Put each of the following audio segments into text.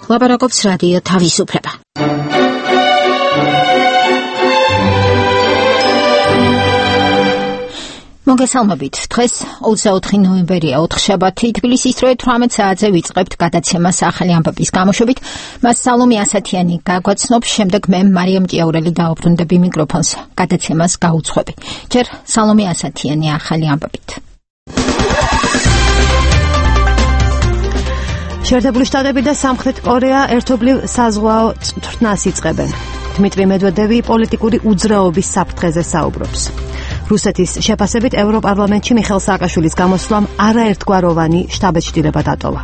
ლაპარაკობს რადიო თავისუფლება. მოგესალმებით. დღეს 24 ნოემბერია, ოთხშაბათი, თბილისის დროით 18 საათზე ვიწყებთ გადაცემას ახალი ამბების გამოშვებით. მას სალომე ასათიანი გაგვაცნობს, შემდეგ მე მარიამ ჭიაურელი დაუბრუნდები მიკროფონს. გადაცემას გაუძღვები. ჯერ სალომე ასათიანი ახალი ამბებით. შეერთებული შტატები და სამხრეთ კორეა ერთობლივ საზღვაო წვრთნას იწყებენ. დმიტრი მედვედევი პოლიტიკური უძრაობის საფრთხეზე საუბრობს. რუსეთის შეფასებით ევროპარლამენტში მიხეილ სააკაშვილის გამოსვლამ არაერთგვაროვანი შთაბეჭდილება დატოვა.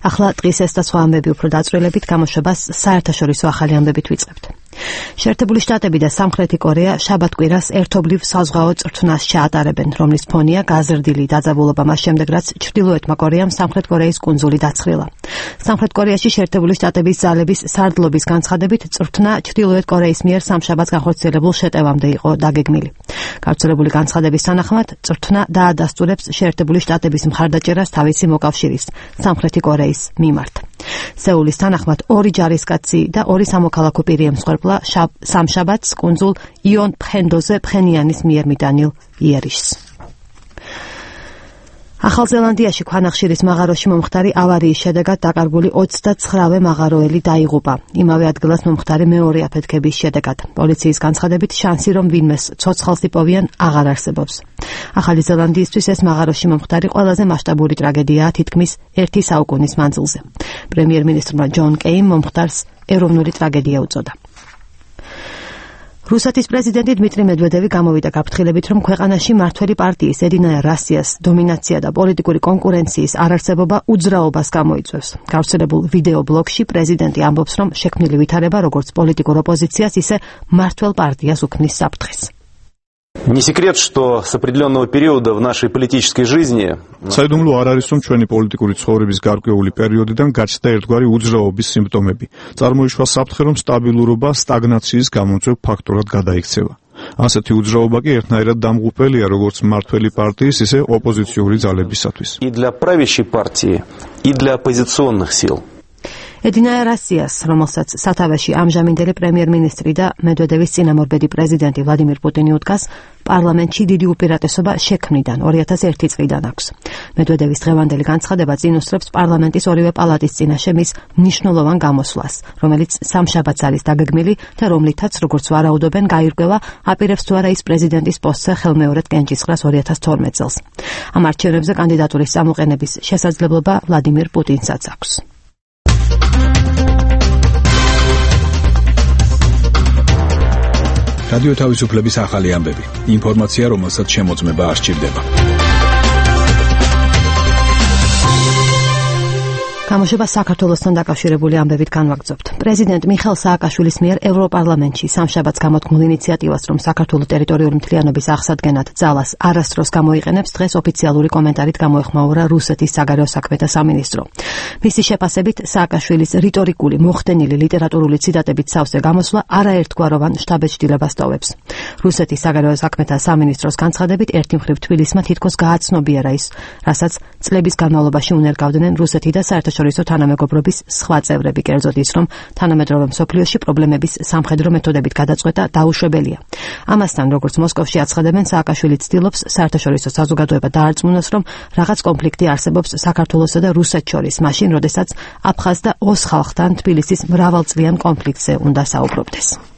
ახლა დღის ეს და სხვა ამბები უფრო დაწვრილებით გამოშვებას საერთაშორისო ახალი ამბებით ვიწყებთ. შეერთებული შტატები და სამხრეთი კორეა შაბათ-კვირას ერთობლივ საზღვაო წვრთნას ჩაატარებენ, რომლის ფონია გაზრდილი დაძაბულობა მას შემდეგ, რაც ჩრდილოეთმა კორეამ სამხრეთ კორეის კუნძული დაცხრილა. სამხრეთ კორეაში შეერთებული შტატების ძალების სარდლობის განცხადებით წვრთნა ჩრდილოეთ კორეის მიერ სამშაბათს განხორციელებულ შეტევამდე იყო დაგეგმილი. გავრცელებული განცხადების თანახმად წვრთნა დაადასტურებს შეერთებული შტატების მხარდაჭერას თავისი მოკავშირის, სამხრეთი კორეის მიმართ. სეულის თანახმად ორი ჯარისკაცი და ორი სამოქალაქო პირი ემსხვერპლა სამშაბათს კუნძულ იონ ფხენდოზე ფხენიანის მიერ მიტანილ იერიშს. ახალ ზელანდიაში ქვანახშირის მაღაროში მომხდარი ავარიის შედეგად დაკარგული 29-ვე მაღაროელი დაიღუპა. იმავე ადგილას მომხდარი მეორე აფეთქების შედეგად. პოლიციის განცხადებით შანსი რომ ვინმეს ცოცხალს იპოვიან აღარ არსებობს. ახალი ზელანდიისთვის ეს მაღაროში მომხდარი ყველაზე მასშტაბური ტრაგედიაა თითქმის 1 საუკუნის მანძილზე. პრემიერ-მინისტრმა ჯონ კეიმ მომხდარს ეროვნული ტრაგედია უწოდა. რუსეთის პრეზიდენტი დმიტრი მედვედევი გამოვიდა გაფრთხილებით, რომ ქვეყანაში მმართველი პარტიის ედინაია რასიას დომინაცია და პოლიტიკური კონკურენციის არარსებობა უძრაობას გამოიწვევს. გავრცელებულ ვიდეო ბლოგში პრეზიდენტი ამბობს, რომ შექმნილი ვითარება როგორც პოლიტიკურ ოპოზიციას, ისე მმართველ პარტიას უქმნის საფრთხეს. Не секрет, что с определенного периода в нашей политической жизни საიდუმლო არ არის, რომ ჩვენი პოლიტიკური ცხოვრების გარკვეული პერიოდიდან გაჩნდა ერთგვარი უძრაობის სიმპტომები. წარმოიშვა საფრთხე, რომ სტაბილურობა სტაგნაციის გამომწვევ ფაქტორად გადაიქცევა. ასეთი უძრაობა კი ერთნაირად დამღუპელია როგორც მმართველი პარტიის, ისე ოპოზიციური ძალებისათვის. И для правящей партии, и для оппозиционных сил. ედინაია რასიას, რომელსაც სათავეში ამჟამინდელი პრემიერ-მინისტრი და მედვედევის წინამორბედი პრეზიდენტი ვლადიმირ პუტინი უდგას, პარლამენტში დიდი უპირატესობა შექმნიდან 2001 წლიდან აქვს. მედვედევის დღევანდელი განცხადება წინუსწრებს პარლამენტის ორივე პალატის წინაშე მის მნიშვნელოვან გამოსვლას, რომელიც სამშაბათს არის დაგეგმილი და რომლითაც, როგორც ვარაუდობენ, გაირკვევა აპირებს თუ არა ის პრეზიდენტის პოსტზე ხელმეორედ კენჭისყრას 2012 წელს. ამ არჩევნებზე კანდიდატურის წამოყენების შესაძლებლობა ვლადიმირ პუტინსაც აქვს. რადიო თავისუფლების ახალი ამბები. ინფორმაცია, რომელსაც შემოწმება არ სჭირდება. გამოშვება საქართველოსთან დაკავშირებული ამბებით განვაგრძობთ. პრეზიდენტ მიხეილ სააკაშვილის მიერ ევროპარლამენტში სამშაბათს გამოთქმულ ინიციატივას, რომ საქართველოს ტერიტორიული მთლიანობის აღსადგენად ძალას არასდროს გამოიყენებს, დღეს ოფიციალური კომენტარით გამოეხმაურა რუსეთის საგარეო საქმეთა სამინისტრო. მისი შეფასებით, სააკაშვილის რიტორიკული, მოხდენილი ლიტერატურული ციტატებით სავსე გამოსვლა არაერთგვაროვან შთაბეჭდილებას ტოვებს. რუსეთის საგარეო საქმეთა სამინისტროს განცხადებით, ერთი მხრივ თბილისმა თითქოს გააცნობიერა ის, რასაც წლების განმავლობაში უნერგავდნენ რუსეთი და საერთაშორისო თანამეგობრობის სხვა წევრები, კერძოდ ის, რომ თანამედროვე მსოფლიოში პრობლემების სამხედრო მეთოდებით გადაწყვეტა დაუშვებელია. ამასთან, როგორც მოსკოვში აცხადებენ, სააკაშვილი ცდილობს საერთაშორისო საზოგადოება დაარწმუნოს, რომ რაღაც კონფლიქტი არსებობს საქართველოსა და რუსეთს შორის, მაშინ, როდესაც აფხაზ და ოს ხალხთან თბილისის მრავალწლიან კონფლიქტზე უნდა საუბრობდეს.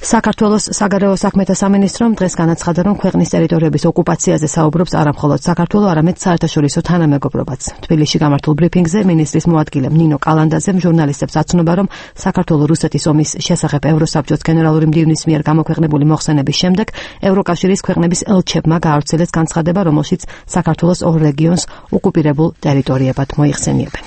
საქართველოს საგარეო საქმეთა სამინისტრომ დღეს განაცხადა, რომ ქვეყნის ტერიტორიების ოკუპაციაზე საუბრობს არა მხოლოდ საქართველო, არამედ საერთაშორისო თანამეგობრობაც. თბილისში გამართულ ბრიფინგზე მინისტრის მოადგილემ ნინო კალანდაძემ ჟურნალისტებს აცნობა, რომ საქართველოს რუსეთის ომის შესახებ ევროსაბჭოს გენერალური მდივნის მიერ გამოქვეყნებული მოხსენების შემდეგ ევროკავშირის ქვეყნების ელჩებმა გაავრცელეს განცხადება, რომელშიც საქართველოს ორ რეგიონს ოკუპირებულ ტერიტორიებად მოიხსენიებენ.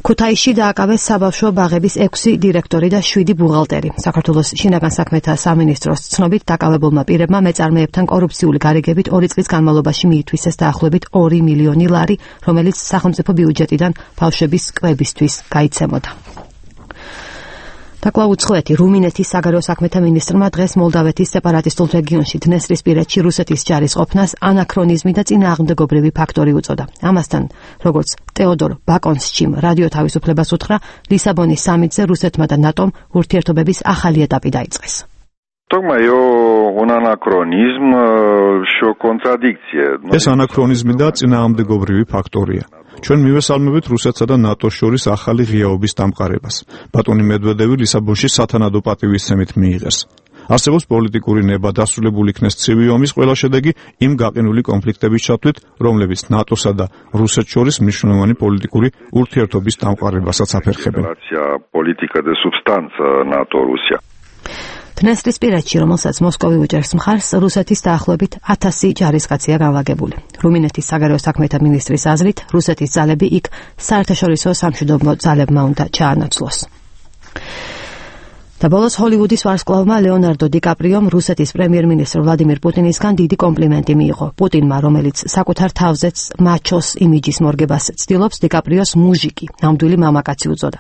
ქუთაისში დააკავეს საბავშვო ბაღების 6 დირექტორი და 7 ბუღალტერი. საქართველოს შინაგან საქმეთა სამინისტროს ცნობით დაკავებულმა პირებმა მეწარმეებთან კორუფციული გარიგებით 2 წლის განმავლობაში მიითვისეს დაახლოებით 2 მილიონი ლარი, რომელიც სახელმწიფო ბიუჯეტიდან ბავშვების კვებისთვის გაიცემოდა. და კვლავ უცხოეთი რუმინეთის საგარეო საქმეთა მინისტრმა დღეს მოლდავეთის სეპარატისტულ რეგიონში დნესტრისპირეთში რუსეთის ჯარის ყოფნას ანაქრონიზმი და წინააღმდეგობრივი ფაქტორი უწოდა. ამასთან, როგორც ტეოდორ ბაკონსჩიმ რადიო თავისუფლებას უთხრა, ლისაბონის სამიტზე რუსეთმა და ნატომ ურთიერთობების ახალი ეტაპი დაიწყეს. ეს ანაქრონიზმი და წინააღმდეგობრივი ფაქტორია. ჩვენ მივესალმებით რუსეთსა და ნატოს შორის ახალი ღიაობის დამყარებას. ბატონი მედვედევი ლისაბონში სათანადო პატივისცემით მიიღეს. არსებობს პოლიტიკური ნება დასრულებული იქნეს ცივი ომის ყველა შედეგი იმ გაყინული კონფლიქტების ჩათვლით, რომლებიც ნატოსა და რუსეთს შორის მნიშვნელოვანი პოლიტიკური ურთიერთობის დამყარებასაც აფერხებენ. დნესტრისპირეთში, რომელსაც მოსკოვი უჭერს მხარს, რუსეთის დაახლოებით 1000 ჯარისკაცია განლაგებული. რუმინეთის საგარეო საქმეთა მინისტრის აზრით, რუსეთის ძალები იქ საერთაშორისო სამშვიდობო ძალებმა უნდა ჩაანაცვლოს. და ბოლოს ჰოლივუდის ვარსკვლავმა ლეონარდო დიკაპრიომ რუსეთის პრემიერ-მინისტრ ვლადიმირ პუტინისგან დიდი კომპლიმენტი მიიღო. პუტინმა, რომელიც საკუთარ თავზეც მაჩოს იმიჯის მორგებას ცდილობს, დიკაპრიოს მუჟიკი, ნამდვილი მამაკაცი უწოდა.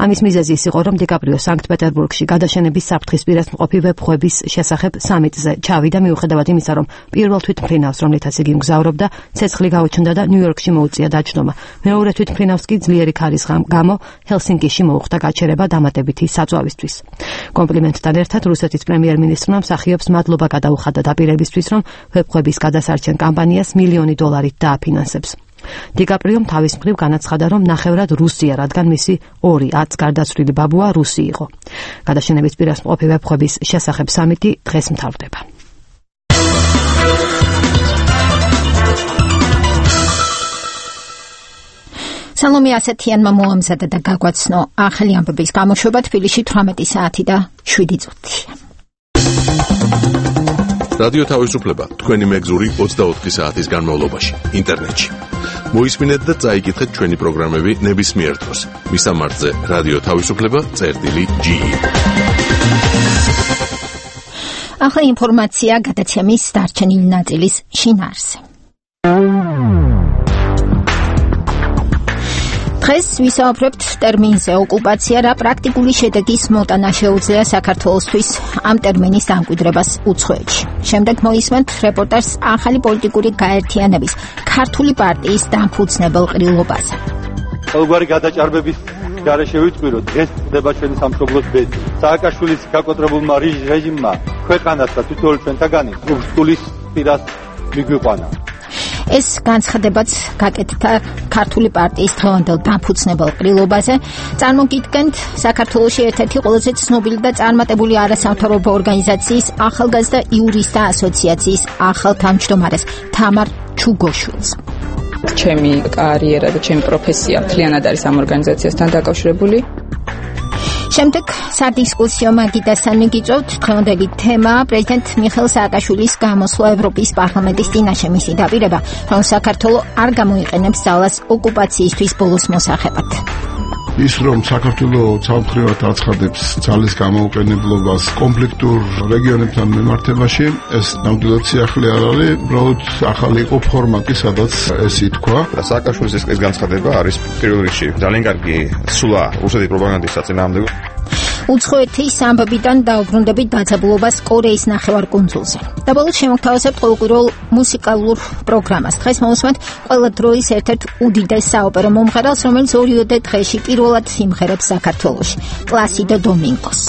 ამის მიზეზი ის იყო, რომ დიკაპრიო სანქტ-პეტერბურგში გადაშენების საფრთხისპირას მყოფი ვებხვების შესახებ სამიტზე ჩავიდა, მიუხედავად იმისა, რომ პირველ თვითმფრინავს, რომლითაც იგი მგზავრობდა, ცეცხლი გაუჩნდა და ნიუ-იორკში მოუწია დაჯდომა. მეორე თვითმფრინავს კი ძლიერი ქარის გამო ჰელსინკიში მოუხდა გაჩერება დამატებითი საწვავისთვის. კომპლიმენტთან ერთად რუსეთის პრემიერ-მინისტრმა მსახიობს მადლობა გადაუხადა დაპირებისთვის, რომ ვებხვების გადასარჩენ კამპანიას $1 მილიონი დააფინანსებს. დიკაპრიომ თავის მხრივ განაცხადა, რომ ნახევრად რუსია, რადგან მისი 2 გარდაცვლილი ბაბუა რუსი იყო. გადაშენების პირას მყოფი ვებხვების შესახებ სამიტი დღეს მთავრდება. სალომე ასათიანმა მოამზადა და გაგვაცნო ახალი ამბების გამოშვება თბილისში 18 საათი და 7 წუთია. რადიო თავისუფლება თქვენი მეგზური 24 საათის განმავლობაში ინტერნეტში. მოისმინეთ და წაიკითხეთ ჩვენი პროგრამები ნებისმიერ დროს. მისამართზე რადიო თავისუფლება.ge. ახალი ინფორმაცია გადაცემის დარჩენილი ნაწილის შინაარსზე. დღეს ვისაუბრებთ ტერმინზე ოკუპაცია, რა პრაქტიკული შედეგის მოტანა შეუძლია საქართველოსთვის ამ ტერმინის დამკვიდრებას უცხოეთში. შემდეგ მოისმენთ რეპორტაჟს ახალი პოლიტიკური გაერთიანების ქართული პარტიის დამფუძნებელ ყრილობაზე. ყოველგვარი გადაჭარბების გარეშე ვიტყვირო, დღეს ხდება ჩვენი სამშობლოს ბედი. სააკაშვილის გაკოტრებულმა რეჟიმმა ქვეყანას და თითოეულ ჩვენთაგანი რუსეთის პირას მიგვიყვანა. ეს განცხადებაც გაკეთდა ქართული პარტიის დღევანდელ დამფუძნებელ ყრილობაზე. წარმოგიდგენთ საქართველოში ერთ-ერთი ყველაზე ცნობილი და წარმატებული არასამთავრობო ორგანიზაციის ახალგაზრდა იურისტთა ასოციაციის ახალ თავმჯდომარეს თამარ ჩუგოშვილს. ჩემი კარიერა და ჩემი პროფესია მთლიანად არის ამ ორგანიზაციასთან დაკავშირებული. შემდეგ სადისკუსიო მაგიდასთან მიგიწევთ დღევანდელი თემა პრეზიდენტ მიხეილ სააკაშვილის გამოსვლა ევროპის პარლამენტის წინაშე, მისი დაპირება, რომ საქართველო არ გამოიყენებს ძალას ოკუპაციისთვის ბოლოს მოსახებად. ის რომ საქართველოს სამხრივად აცხადებს ძალის გამოუყენებლობას კონფლიქტურ რეგიონებთან მიმართებაში, ეს ნამდვილად სიახლე არ არის, უბრალოდ ახალი იყო ფორმატი, სადაც ეს ითქვა. სააკაშვილის ეს განცხადება არის პირველ რიგში ძალიან კარგი სულა რუსეთის პროპაგანდის საწინააღმდეგო. უცხოეთის ამბებიდან დაუბრუნდებით დაძაბულობას კორეის ნახევარკუნძულზე. და ბოლოს შემოგთავაზებთ ყოველკვირეულ მუსიკალურ პროგრამას. დღეს მოვუსმენთ ყველა დროის ერთ-ერთ უდიდეს საოპერო მომღერალს, რომელიც ორიოდე დღეში პირველად სიმღერებს საქართველოში. პლასიდო დომინგოს.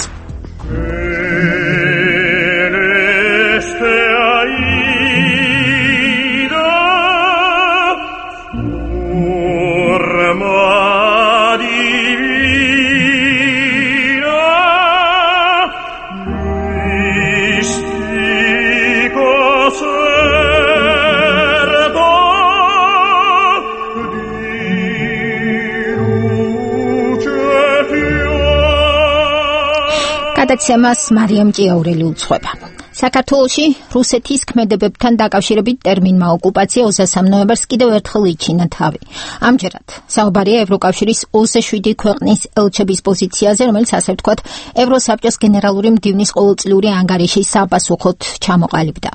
გადაცემას მარიამ ჭიაურელი უძღვება. საქართველოში რუსეთის ქმედებებთან დაკავშირებით ტერმინმა ოკუპაცია 23 ნოემბერს კიდევ ერთხელ იჩინა თავი. ამჯერად საუბარია ევროკავშირის 27 ქვეყნის ელჩების პოზიციაზე, რომელიც ასე ვთქვათ, ევროსაბჭოს გენერალური მდივნის ყოველწლიური ანგარიშის საპასუხოდ ჩამოყალიბდა.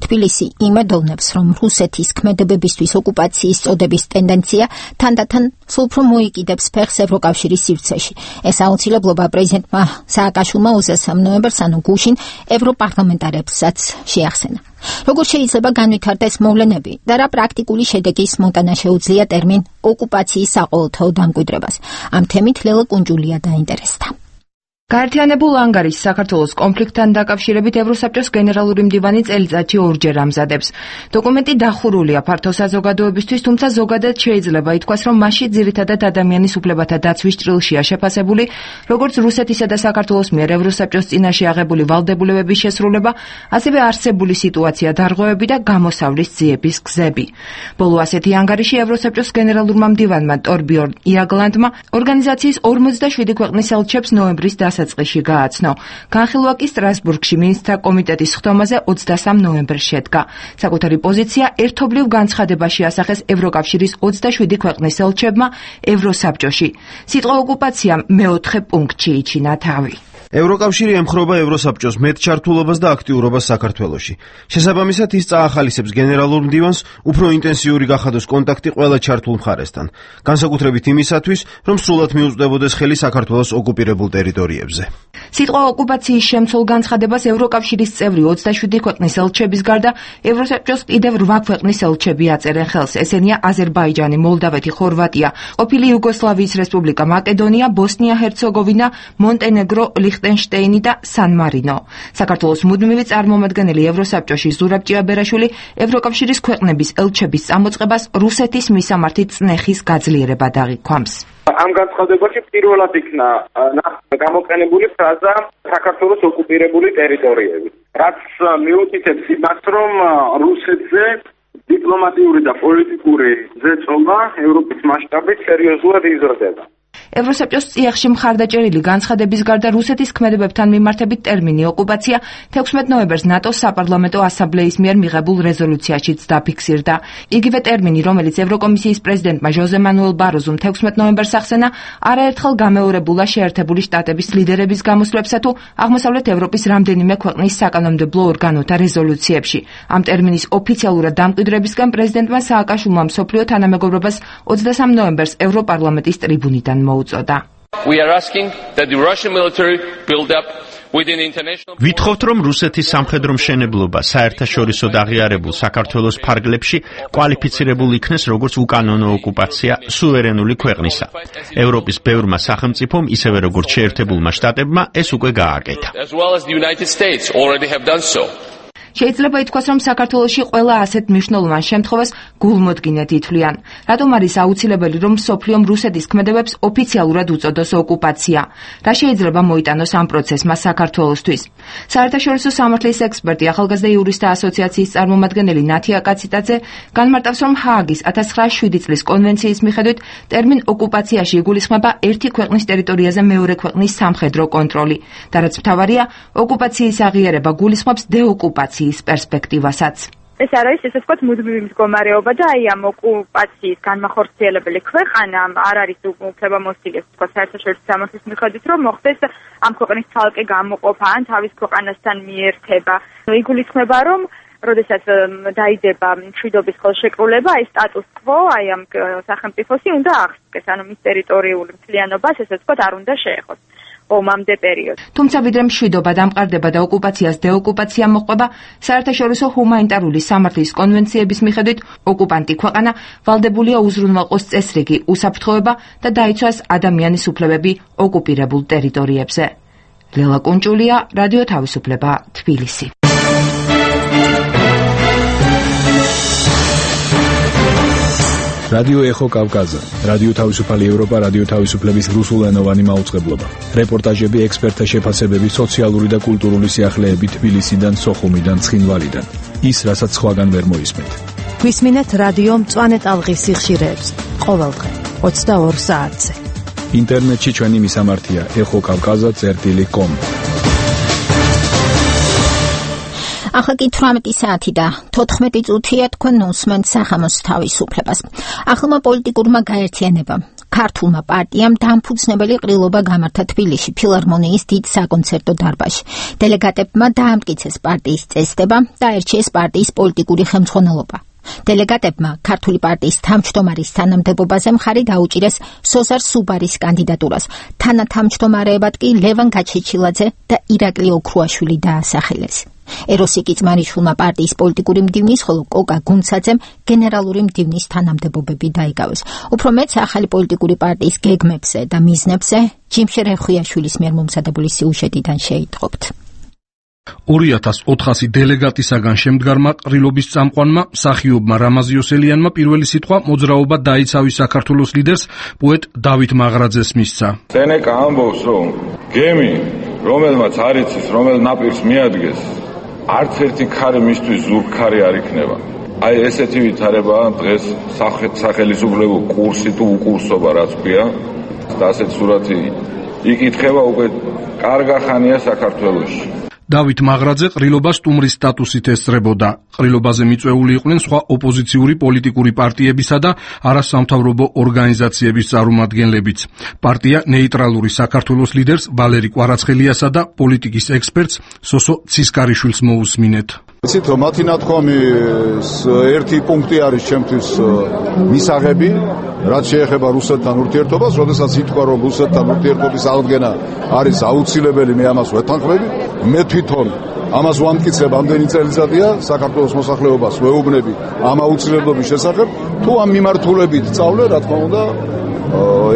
თბილისი იმედოვნებს, რომ რუსეთის ქმედებებისთვის ოკუპაციის წოდების ტენდენცია თანდათან სულ უფრო მოიკიდებს ფეხს ევროკავშირის სივრცეში. ეს აუცილებლობა პრეზიდენტმა სააკაშვილმა 23 ნოემბერს გუშინ ევროპარლამენტარებსაც შეახსენა. Როგორ შეიძლება განვითარდეს მოვლენები და რა პრაქტიკული შედეგის მონტანა შეუძლია ტერმინ ოკუპაციის საყოველთაო დამკვიდრებას? ამ თემით ლელა კუნჯულია დაინტერესდა. გაერთიანებულ ანგარიშს საქართველოს კონფლიქტთან დაკავშირებით ევროსაბჭოს გენერალური მდივანი წელიწადში ორჯერ ამზადებს. დოკუმენტი დახურულია ფართო საზოგადოებისთვის, თუმცა ზოგადად შეიძლება ითქვას, რომ მასში ძირითადად ადამიანის უფლებათა დაცვის ჭრილშია შეფასებული, როგორც რუსეთისა და საქართველოს მიერ ევროსაბჭოს წინაშე აღებული ვალდებულებების შესრულება, ასევე არსებული სიტუაცია, დარღვევები და გამოსავლის ძიების გზები. ბოლო ასეთი ანგარიში ევროსაბჭოს გენერალურმა მდივანმა ტორბიორნ იაგლანდმა ორგანიზაციის 47 ქვეყნის ელჩებს ნოემბრის დასაწყისში გააცნო. განხილვა კი სტრასბურგში მინისტრთა კომიტეტის ხდომაზე 23 ნოემბერს შედგა. საკუთარი პოზიცია ერთობლივ განცხადებაში ასახეს ევროკავშირის 27 ქვეყნის ელჩებმა ევროსაბჭოში. სიტყვა ოკუპაცია მეოთხე პუნქტში იჩინა თავი. ევროკავშირი ემხრობა ევროსაბჭოს მეტჩართულობას და აქტიურობას საქართველოში. შესაბამისად, ის წაახალისებს გენერალურ მდივანს უფრო ინტენსიური გახადოს კონტაქტი ყველა ჩართულ მხარესთან, განსაკუთრებით იმისათვის, რომ სრულად მიუწვდებოდეს ხელი საქართველოს ოკუპირებულ ტერიტორიებზე. სიტყვა ოკუპაციის შემცველ განცხადებას ევროკავშირის წევრი 27 ქვეყნის ელჩების გარდა ევროსაბჭოს კიდევ 8 ქვეყნის ელჩები აწერენ ხელს. ესენია აზერბაიჯანი, მოლდავეთი, ხორვატია, ყოფილი იუგოსლავიის რესპუბლიკა მაკედონია, ბოსნია-ჰერცეგოვინა, მონტენეგრო, ლიხტენშტეინი და სან-მარინო. საქართველოს მუდმივი წარმომადგენელი ევროსაბჭოში ზურაბ ჭიაბერაშვილი ევროკავშირის ქვეყნების ელჩების წამოწყებას რუსეთის მისამართი წნეხის გაძლიერება დაღიქვამს. ამ განცხადებაში პირველად იქნა გამოყენებული ფრაზა საქართველოს ოკუპირებული ტერიტორიები, რაც მიუთითებს იმას, რომ რუსეთზე დიპლომატიური და პოლიტიკური ზეწოლა ევროპის მასშტაბით სერიოზულად იზრდება. ევროსაბჭოს წიაღში მხარდაჭერილი განცხადების გარდა რუსეთის ქმედებებთან მიმართებით ტერმინი ოკუპაცია 16 ნოემბერს ნატოს საპარლამენტო ასამბლეის მიერ მიღებულ რეზოლუციაშიც დაფიქსირდა. იგივე ტერმინი, რომელიც ევროკომისიის პრეზიდენტმა ჟოზე მანუელ ბაროზომ 16 ნოემბერს ახსენა, არაერთხელ გამეორებულა შეერთებული შტატების ლიდერების გამოსვლებსა თუ აღმოსავლეთ ევროპის რამდენიმე ქვეყნის საკანონმდებლო ორგანოთა რეზოლუციებში. ამ ტერმინის ოფიციალურად დამკვიდრებისგან პრეზიდენტმა სააკაშვილმა მსოფლიო თანამეგობრობას 23 ნოემბერს ევროპარლამენტის ტრიბუნიდან მოუწოდა. ვითხოვთ, რომ რუსეთის სამხედრო მშენებლობა საერთაშორისოდ აღიარებულ საქართველოს ფარგლებში კვალიფიცირებულ იქნეს როგორც უკანონო ოკუპაცია სუვერენული ქვეყნისა. ევროპის ბევრმა სახელმწიფომ, ისევე როგორც შეერთებულმა შტატებმა, ეს უკვე გააკეთა. შეიძლება ითქვას, რომ საქართველოში ყველა ასეთ მნიშვნელოვან შემთხვევას გულმოდგინედ ითვლიან. რატომ არის აუცილებელი, რომ მსოფლიომ რუსეთის ქმედებებს ოფიციალურად უწოდოს ოკუპაცია? რა შეიძლება მოიტანოს ამ პროცესმა საქართველოსთვის? საერთაშორისო სამართლის ექსპერტი, ახალგაზრდა იურისტთა ასოციაციის წარმომადგენელი ნათია კაციტაძე განმარტავს, რომ ჰააგის 1907 წლის კონვენციის მიხედვით ტერმინ ოკუპაციაში იგულისხმება ერთი ქვეყნის ტერიტორიაზე მეორე ქვეყნის სამხედრო კონტროლი. და რაც მთავარია, ოკუპაციის აღიარება გულისხმობს დეოკუპაციას პერსპექტივასაც. ეს არის ესე ვთქვათ მუდმივი მდგომარეობა და აი ამ ოკუპაციის განმახორციელებელი ქვეყანა არ არის უფლებამოსილი ესე ვთქვათ საერთაშორისო სამართლის მიხედვით რომ მოხდეს ამ ქვეყნის ცალკე გამოყოფა ან თავის ქვეყანასთან მიერთება. იგულისხმება რომ როდესაც დაიდება მშვიდობის ხელშეკრულება, აი სტატუს კვო აი ამ სახელმწიფოსი უნდა აღსდგეს, ანუ მის ტერიტორიული მთლიანობას ესე ვთქვათ არ უნდა შეეხოს. ომამდე პერიოდში. თუმცა ვიდრე მშვიდობა დამყარდება და ოკუპაციას დეოკუპაცია მოყვება, საერთაშორისო ჰუმანიტარული სამართლის კონვენციების მიხედვით ოკუპანტი ქვეყანა ვალდებულია უზრუნველყოს წესრიგი, უსაფრთხოება და დაიცვას ადამიანის უფლებები ოკუპირებულ ტერიტორიებზე. ლელა კუნჭულია, რადიო თავისუფლება, თბილისი. რადიო ეხო კავკაზა, რადიო თავისუფალი ევროპა, რადიო თავისუფლების რუსულენოვანი მაუწყებლობა. რეპორტაჟები, ექსპერტთა შეფასებები, სოციალური და კულტურული სიახლეები თბილისიდან, სოხუმიდან, ცხინვალიდან. ის, რასაც სხვაგან ვერ მოისმენთ. გვისმინეთ რადიო მწვანე ტალღის სიხშირეებს ყოველდღე 22 საათზე. ინტერნეტში ჩვენი მისამართია ეხოკავკაზა.com. ახლა კი 18 საათი და 14 წუთია თქვენ უსმენთ სახამოს თავისუფლებას. ახლმა პოლიტიკურმა გაერთიანებამ ქართულმა პარტიამ დამფუძნებელი ყრილობა გამართა თბილისში ფილარმონიის დიდ საკონცერტო დარბაზში. დელეგატებმა დაამტკიცეს პარტიის წესდება და აირჩიეს პარტიის პოლიტიკური ხელმძღვანელობა. დელეგატებმა ქართული პარტიის თავმჯდომარის თანამდებობაზე მხარი დაუჭირეს სოზარ სუბარის კანდიდატურას. თანათავმჯდომარეებად კი ლევან გაჩეჩილაძე და ირაკლი ოქრუაშვილი დაასახელეს. ეროსი კიწმარიშვილმა პარტიის პოლიტიკური მდივნის, ხოლო კოკა გუნცაძემ გენერალური მდივნის თანამდებობები დაიკავეს. უფრო მეც ახალი პოლიტიკური პარტიის გეგმებზე და მიზნებზე ჯიმშერ ეხვიაშვილის მიერ მომზადებული სიუჟეტიდან შეიტყობთ. 2400 დელეგატისაგან შემდგარმა ყრილობის წამყვანმა მსახიობმა რამაზ იოსელიანმა პირველი სიტყვა მოძრაობა დაიცავის საქართველოს ლიდერს პოეტ დავით მაღრაძეს მისცა. სენეკა ამბობს, რომ გემი, რომელმაც არ იცის, რომელ ნაპირს მიადგეს, არც ერთი ქარი მისთვის ზურგქარი არ იქნება. აი ესეთი ვითარებაა დღეს სახელისუფლებო კურსი თუ უკურსობა რაც ქვია და ასეთ სურათი იკითხება უკვე კარგა ხანია საქართველოში. დავით მაღრაძე ყრილობას სტუმრის სტატუსით ესწრებოდა. ყრილობაზე მიწვეული იყვნენ სხვა ოპოზიციური პოლიტიკური პარტიებისა და არასამთავრობო ორგანიზაციების წარმომადგენლებიც. პარტია ნეიტრალური საქართველოს ლიდერს ვალერი კვარაცხელიასა და პოლიტიკის ექსპერტს სოსო ცისკარიშვილს მოусმინეთ. იცით რომ მათი ნათქვამის ერთი პუნქტი არის ჩემთვის მისაღები, რაც შეეხება რუსეთთან ურთიერთობას, როდესაც ითქვა რომ რუსეთთან ურთიერთობის აღდგენა არის აუცილებელი, მე ამას ვეთანხმები. მე თვითონ ამას ვამტკიცებ ამდენი წელიწადია საქართველოს მოსახლეობას ვეუბნები ამ აუცილებლობის შესახებ, თუ ამ მიმართულებით წავლე, რა თქმა უნდა,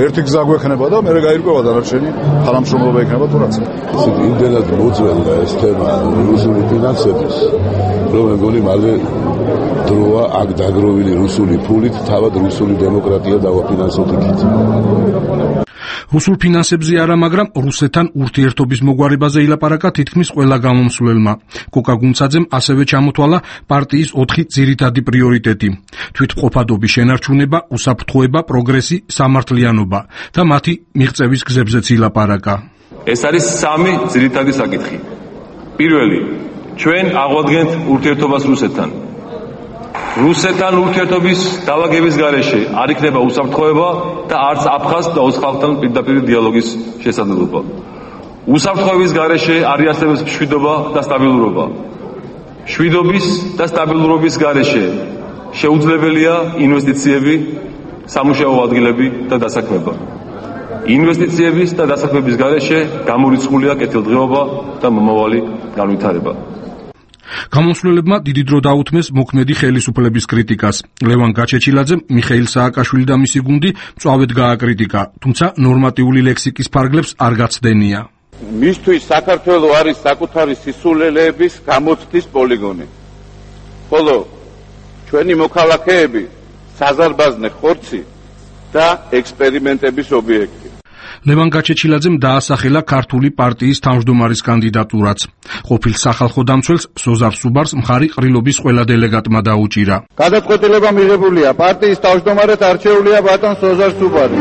ერთი გზა გვექნება და მე გაირკვევა დანარჩენი თანამშრომლობა იქნება თუ რაც. ისეთ იმდენად მოძველდა ეს თემა რუსული ფინანსების, რომ მეგონი მალე დროა აქ დაგროვილი რუსული ფულით თავად რუსული დემოკრატია დავაფინანსოთ იქით. რუსულ ფინანსებზე არა, მაგრამ რუსეთთან ურთიერთობის მოგვარებაზე ილაპარაკა თითქმის ყველა გამომსვლელმა. კოკა გუნცაძემ ასევე ჩამოთვალა პარტიის 4 ძირითადი პრიორიტეტი: თვითმყოფადობის შენარჩუნება, უსაფრთხოება, პროგრესი, სამართლიანობა და მათი მიღწევის გზებზეც ილაპარაკა. ეს არის 3 ძირითადი საკითხი. პირველი, ჩვენ აღვადგენთ ურთიერთობას რუსეთთან. რუსეთთან ურთიერთობის დავაგების გარეშე არ იქნება უსაფრთხოება და არც აფხაზ და ოს ხალხთან პირდაპირ დიალოგის შესაძლებლობა. უსაფრთხოების გარეშე არ იარსებებს მშვიდობა და სტაბილურობა. მშვიდობის და სტაბილურობის გარეშე შეუძლებელია ინვესტიციები, სამუშაო ადგილები და დასაქმება. ინვესტიციების და დასაქმების გარეშე გამორიცხულია კეთილდღეობა და მომავალი განვითარება. გამოსვლებმა დიდი დრო დაუთმეს მოქმედი ხელისუფლების კრიტიკას. ლევან გაჩეჩილაძემ მიხეილ სააკაშვილი და მისი გუნდი მწვავედ გააკრიტიკა, თუმცა ნორმატიული ლექსიკის ფარგლებს არ გაცდენია. მისთვის საქართველო არის საკუთარი სისულელეების გამოცდის პოლიგონი, ხოლო ჩვენი მოქალაქეები საზარბაზნე ხორცი და ექსპერიმენტების ობიექტი. ლევან გაჩეჩილაძემ დაასახელა ქართული პარტიის თავმჯდომარის კანდიდატურაც. ყოფილ სახალხო დამცველს სოზარ სუბარს მხარი ყრილობის ყველა დელეგატმა დაუჭირა. გადაწყვეტილება მიღებულია, პარტიის თავმჯდომარედ არჩეულია ბატონ სოზარ სუბარი.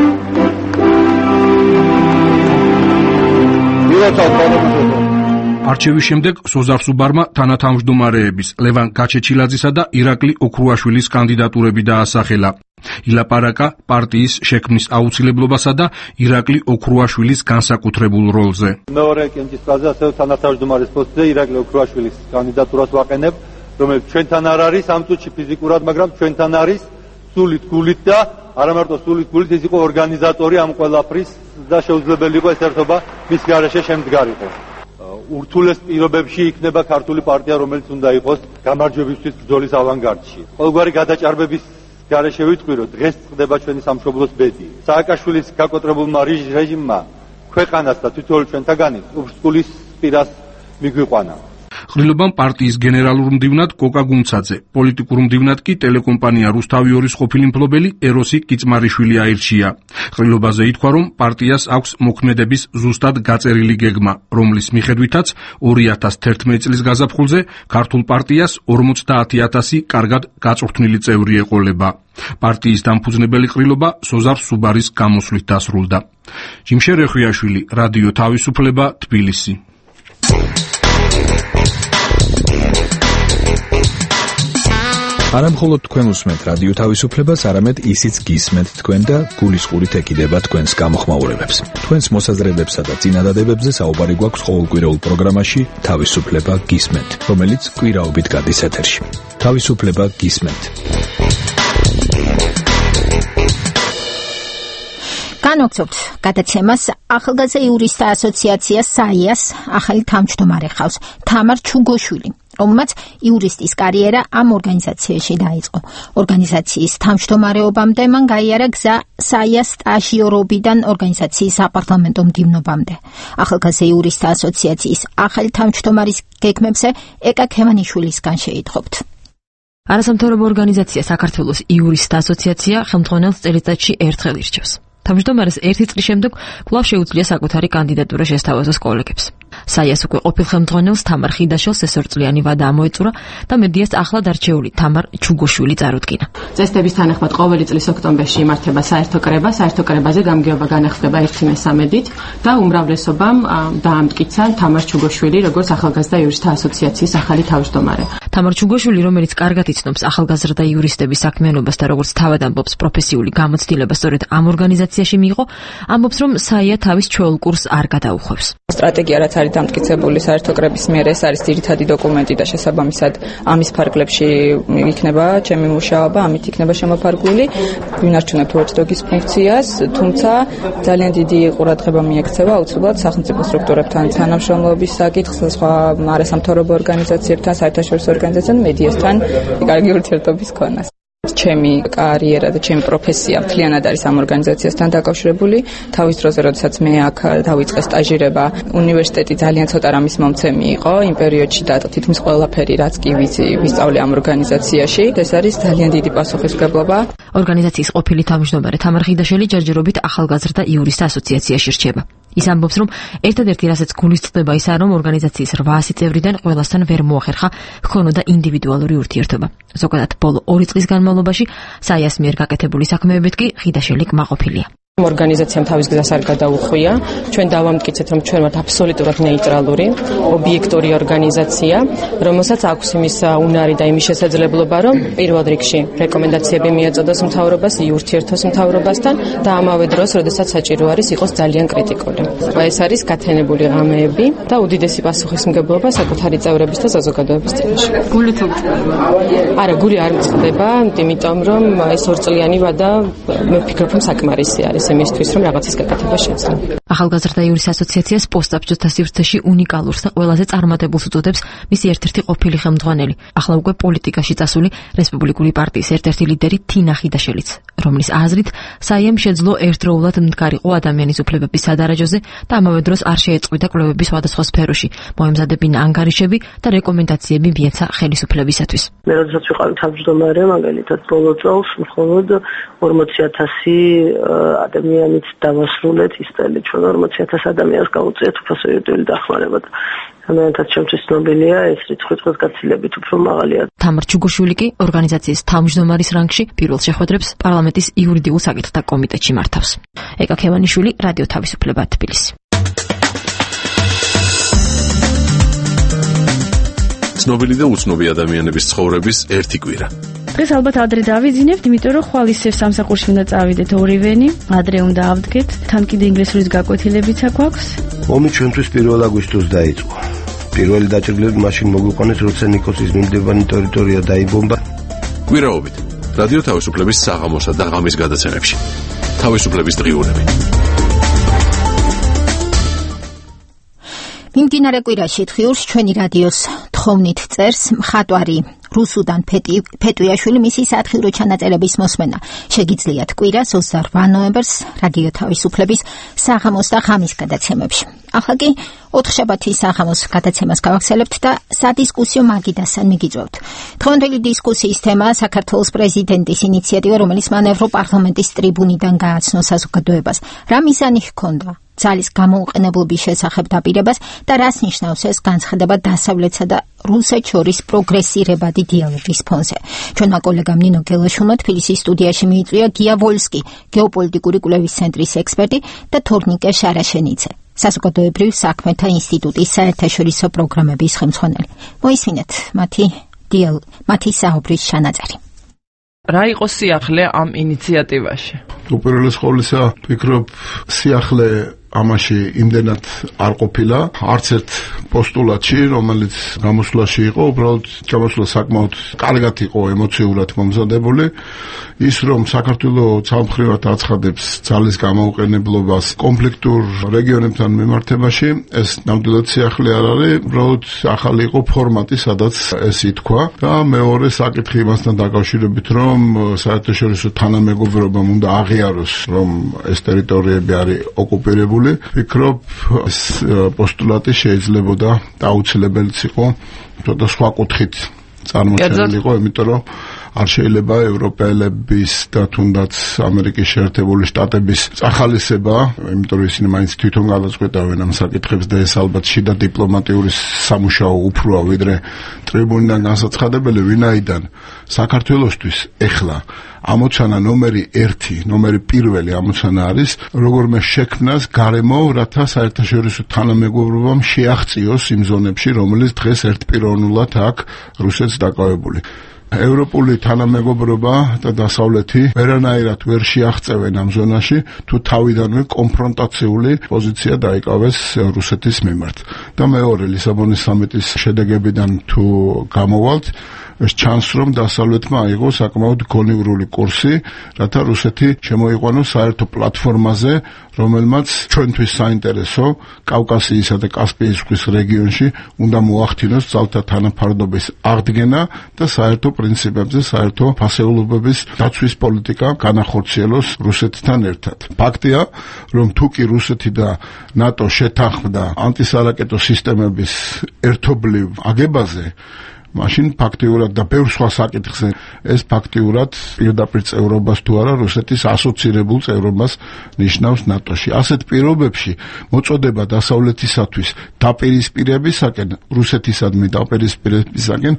არჩევის შემდეგ სოზარ სუბარმა თანათავმჯდომარეების ლევან გაჩეჩილაძისა და ირაკლი ოქრუაშვილის კანდიდატურები დაასახელა. ილაპარაკა პარტიის შექმნის აუცილებლობასა და ირაკლი ოქრუაშვილის განსაკუთრებულ როლზე. მეორე კენჭისყრაზე ასევე თანათავმჯდომარის პოსტზე ირაკლი ოქრუაშვილის კანდიდატურას ვაყენებ, რომელიც ჩვენთან არ არის ამ წუთში ფიზიკურად, მაგრამ ჩვენთან არის სულით გულით და არა მარტო სულით გულით, ის იყო ორგანიზატორი ამ ყველაფრის და შეუძლებელი იყო ეს ერთობა მის გარეშე შემდგარიყო. ურთულეს პირობებში იქნება ქართული პარტია, რომელიც უნდა იყოს გამარჯვებისთვის ბრძოლის ავანგარდში. ყოველგვარი გადაჭარბების გარეშე ვიტყვი, რომ დღეს ხდება ჩვენი სამშობლოს ბედი. სააკაშვილის გაკოტრებულმა რეჟიმმა ქვეყანას და თითოეულ ჩვენთაგანი ურსკულის პირას მიგვიყვანა. ყრილობამ პარტიის გენერალურ მდივნად კოკა გუნცაძე, პოლიტიკურ მდივნად კი ტელეკომპანია რუსთავი 2-ის ყოფილი მფლობელი ეროსი კიწმარიშვილი აირჩია. ყრილობაზე ითქვა, რომ პარტიას აქვს მოქმედების ზუსტად გაწერილი გეგმა, რომლის მიხედვითაც 2011 წლის გაზაფხულზე ქართულ პარტიას 50,000 კარგად გაწვრთნილი წევრი ეყოლება. პარტიის დამფუძნებელი ყრილობა სოზარ სუბარის გამოსვლით დასრულდა. ჯიმშერ ეხვიაშვილი, რადიო თავისუფლება, თბილისი. არა მხოლოდ თქვენ უსმენთ რადიო თავისუფლებას, არამედ ისიც გისმენთ თქვენ და გულისყურით ეკიდება თქვენს გამოხმაურებებს. თქვენს მოსაზრებებსა და წინადადებებზე საუბარი გვაქვს ყოველკვირეულ პროგრამაში თავისუფლება გისმენთ, რომელიც კვირაობით გადის ეთერში. თავისუფლება გისმენთ. განვაგრძობთ გადაცემას ახალგაზრდა იურისტთა ასოციაცია საიას ახალი თავმჯდომარე ხავს თამარ ჩუგოშვილი, რომელმაც იურისტის კარიერა ამ ორგანიზაციაში დაიწყო. ორგანიზაციის თავმჯდომარეობამდე მან გაიარა გზა საიას სტაჟიორობიდან ორგანიზაციის საპარლამენტო მდივნობამდე. ახალგაზრდა იურისტთა ასოციაციის ახალი თავმჯდომარის გეგმებზე ეკა ქემანიშვილისგან შეიტყობთ. არასამთავრობო ორგანიზაცია საქართველოს იურისტთა ასოციაცია ხელმძღვანელს წელიწადში ერთხელ ირჩევს. თავმჯდომარეს ერთი წლის შემდეგ კვლავ შეუძლია საკუთარი კანდიდატურა შესთავაზოს კოლეგებს. საიას უკვე ყოფილ ხელმძღვანელს თამარ ხიდაშელს ესორწლიანი ვადა ამოეწურა და მედიას ახლად არჩეული თამარ ჩუგოშვილი წარუდგინა. წესდების თანახმად ყოველი წლის ოქტომბერში იმართება საერთო კრება, საერთო კრებაზე გამგეობა განახლდება 1/13-ით და უმრავლესობამ დაამტკიცა თამარ ჩუგოშვილი როგორც ახალგაზრდა იურისტთა ასოციაციის ახალი თავმჯდომარე. თამარ ჩუგოშვილი, რომელიც კარგად იცნობს ახალგაზრდა იურისტების საქმიანობას და როგორც თავად ამბობს პროფესიული გამოცდილება სწორედ ამ ორგანიზაციაში მიიღო, ამბობს რომ საია თავის ჩვეულ კურსს არ გადაუხვევს. სტრატეგია რაც არის დამტკიცებული საერთო კრების მიერ, ეს არის ძირითადი დოკუმენტი და შესაბამისად ამის ფარგლებში იქნება ჩემი მუშაობა, ამით იქნება შემოფარგლული. ვინარჩუნებთ watchdog-ის ფუნქციას, თუმცა ძალიან დიდი ყურადღება მიექცევა აუცილებლად სახელმწიფო სტრუქტურებთან თანამშრომლობის საკითხს, სხვა არასამთავრობო ორგანიზაციებთან, საერთაშორისო ორგანიზაციებთან, მედიასთან კარგი ურთიერთობის ქონას. ჩემი კარიერა და ჩემი პროფესია მთლიანად არის ამ ორგანიზაციასთან დაკავშირებული. თავის დროზე, როდესაც მე აქ დავიწყე სტაჟირება, უნივერსიტეტი ძალიან ცოტა რამის მომცემი იყო. იმ პერიოდში და თითქმის ყველაფერი, რაც კი ვისწავლე ამ ორგანიზაციაში, ეს არის ძალიან დიდი პასუხისმგებლობა. ორგანიზაციის ყოფილი თავმჯდომარე თამარ ხიდაშელი ჯერჯერობით ახალგაზრდა იურისტთა ასოციაციაში რჩება. ის ამბობს, რომ ერთადერთი რასაც გულისწყდება ისაა, რომ ორგანიზაციის 800 წევრიდან ყველასთან ვერ მოახერხა ჰქონოდა ინდივიდუალური ურთიერთობა. ზოგადად, ბოლო 2 წლის განმავლობაში საიას მიერ გაკეთებული საქმეებით კი ხიდაშელი კმაყოფილია. ორგანიზაციამ თავის გზას არ გადაუხვია. ჩვენ დავამტკიცეთ, რომ ჩვენ ვართ აბსოლუტურად ნეიტრალური, ობიექტური ორგანიზაცია, რომელსაც აქვს იმის უნარი და იმის შესაძლებლობა, რომ პირველ რიგში რეკომენდაციები მიაწოდოს მთავრობას, ურთიერთოს მთავრობასთან და ამავე დროს, როდესაც საჭირო არის, იყოს ძალიან კრიტიკული. ეს არის გათენებული ღამეები და უდიდესი პასუხისმგებლობა საკუთარი წევრების და საზოგადოების წინაშე. გული თუ წყდება? არა, გული არ წყდება, იმიტომ რომ ეს 2 წლიანი ვადა მე ვფიქრობ, რომ საკმარისი არის იმისთვის, რომ რაღაცის გაკეთება შეძლო. ახალგაზრდა იურისტთა ასოციაციას პოსტსაბჭოთა სივრცეში უნიკალურს და ყველაზე წარმატებულს უწოდებს მისი ერთ-ერთი ყოფილი ხელმძღვანელი, ახლა უკვე პოლიტიკაში წასული რესპუბლიკური პარტიის ერთ-ერთი ლიდერი თინა ხიდაშელიც, რომლის აზრით საიამ შეძლო ერთდროულად მდგარიყო ადამიანის უფლებების სადარაჯოზე და ამავე დროს არ შეეწყვიტა კვლევების სხვადასხვა სფეროში, მოემზადებინა ანგარიშები და რეკომენდაციები მიეცა ხელისუფლებისათვის. მე როდესაც ვიყავი თავმჯდომარე, მაგალითად ბოლო წელს მხოლოდ 40,000 ადამიანით დავასრულეთ ის წელი, ჩვენ 40,000 ადამიანს გავუწიეთ უფასო იურიდიული დახმარება. ამიტომაც ჩემთვის ცნობილია ეს რიცხვი დღეს გაცილებით უფრო მაღალია. თამარ ჩუგოშვილი კი ორგანიზაციის თავმჯდომარის რანგში პირველ შეხვედრებს პარლამენტის იურიდიულ საკითხთა კომიტეტში მართავს. ეკა ქემანიშვილი, რადიო თავისუფლება, თბილისი. ცნობილი და უცნობი ადამიანების ცხოვრების ერთი კვირა. დღეს ალბათ ადრე დავიძინებთ, იმიტომ რომ ხვალ ისევ სამსახურში უნდა წავიდეთ ორივენი, ადრე უნდა ავდგეთ, თან კიდე ინგლისურის გაკვეთილებიც აქვს. ომი ჩვენთვის 1 აგვისტოს დაიწყო. პირველი დაჭრილები მაშინ მოგვიყვანეს, როცა ნიკოსის მიმდებარე ტერიტორია დაიბომბა. კვირაობით რადიო თავისუფლების საღამოსა და ღამის გადაცემებში. თავისუფლების დღიურები. მიმდინარე კვირაში დღიურს ჩვენი რადიოს თხოვნით წერს მხატვარი რუსუდან ფეტუიაშვილი მისი სათხილრო ჩანაწერების მოსმენა. შეგიძლიათ კვირას 28 ნოემბერს რადიო თავისუფლების საღამოს და ღამის გადაცემებში. ახლა კი 4 შაბათის საღამოს გადაცემას გავახსენებთ და სადისკუსიო მაგიდასთან მიგიწევთ. დღევანდელი დისკუსიის თემაა საქართველოს პრეზიდენტის ინიციატივა, რომელიც მან ევროპარლამენტის ტრიბუნიდან გააცნო საზოგადოებას. რა მიზანი ჰქონდა ძალის გამოუყენებლობის შესახებ დაპირებას და რას ნიშნავს ეს განცხადება დასავლეთსა და რუსეთს შორის პროგრესირებადი დიალოგის ფონზე. ჩვენმა კოლეგამ ნინო გელაშვილმა თბილისის სტუდიაში მიიწვია გია ვოლსკი, გეოპოლიტიკური კვლევის ცენტრის ექსპერტი და თორნიკე შარაშენიცე, საზოგადოებრივ საქმეთა ინსტიტუტის საერთაშორისო პროგრამების ხელმძღვანელი. მოისმინეთ მათი deal მათი საუბრის ჩანაწერი. რა იყო სიახლე ამ ინიციატივაში? უპირველეს ყოვლისა, ვფიქრობ, სიახლე ამაში იმდენად არ ყოფილა, არც ერთ პოსტულატში, რომელიც გამოსვლაში იყო, უბრალოდ გამოსვლა საკმაოდ კარგად იყო ემოციურად მომზადებული. ის რომ საქართველოს სამხრივად აცხადებს ძალის გამოუყენებლობას კონფლიქტურ რეგიონებთან მიმართებაში, ეს ნამდვილად სიახლე არ არის, უბრალოდ ახალი იყო ფორმატი, სადაც ეს ითქვა და მეორე საკითხი იმასთან დაკავშირებით, რომ საერთაშორისო თანამეგობრობამ უნდა აღიაროს, რომ ეს ტერიტორიები არის ოკუპირებული. ვფიქრობ, ეს პოსტულატი შეიძლებოდა და აუცილებელიც იყო ცოტა სხვა კუთხით წარმოჩენილი იყო, იმიტომ რომ არ შეიძლება ევროპელების და თუნდაც ამერიკის შეერთებული შტატების წახალისება, იმიტომ რომ ისინი მაინც თვითონ გადაწყვეტავენ ამ საკითხებს და ეს ალბათ შიდა დიპლომატიური სამუშაო უფროა ვიდრე ტრიბუნიდან განსაცხადებელი, ვინაიდან საქართველოსთვის ეხლა ამოცანა ნომერი 1, ნომერი 1 ამოცანა არის როგორმე შექმნას გარემო, რათა საერთაშორისო თანამეგობრობამ შეაღწიოს იმ ზონებში, რომელიც დღეს ერთპიროვნულად აქვს რუსეთს დაკავებული. ევროპული თანამეგობრობა და დასავლეთი ვერანაირად ვერ შეაღწევენ ამ ზონაში, თუ თავიდანვე კონფრონტაციული პოზიცია დაიკავეს რუსეთის მიმართ. და მეორე, ლისაბონის სამიტის შედეგებიდან თუ გამოვალთ, ეს ჩანს, რომ დასავლეთმა აიღო საკმაოდ გონივრული კურსი, რათა რუსეთი შემოიყვანოს საერთო პლატფორმაზე, რომელმაც ჩვენთვის საინტერესო კავკასიისა და კასპიის ზღვის რეგიონში უნდა მოახდინოს ძალთა თანაფარდობის აღდგენა და საერთო პრინციპებზე, საერთო ფასეულობების დაცვის პოლიტიკა განახორციელოს რუსეთთან ერთად. ფაქტია, რომ თუ კი რუსეთი და ნატო შეთანხმდა ანტისარაკეტო სისტემების ერთობლივ აგებაზე, მაშინ ფაქტიურად და ბევრ სხვა საკითხზე ეს ფაქტიურად პირდაპირ წევრობას თუ არა რუსეთის ასოცირებულ წევრობას ნიშნავს ნატოში. ასეთ პირობებში მოწოდება დასავლეთისათვის დაპირისპირებისაკენ, რუსეთისადმი დაპირისპირებისაკენ,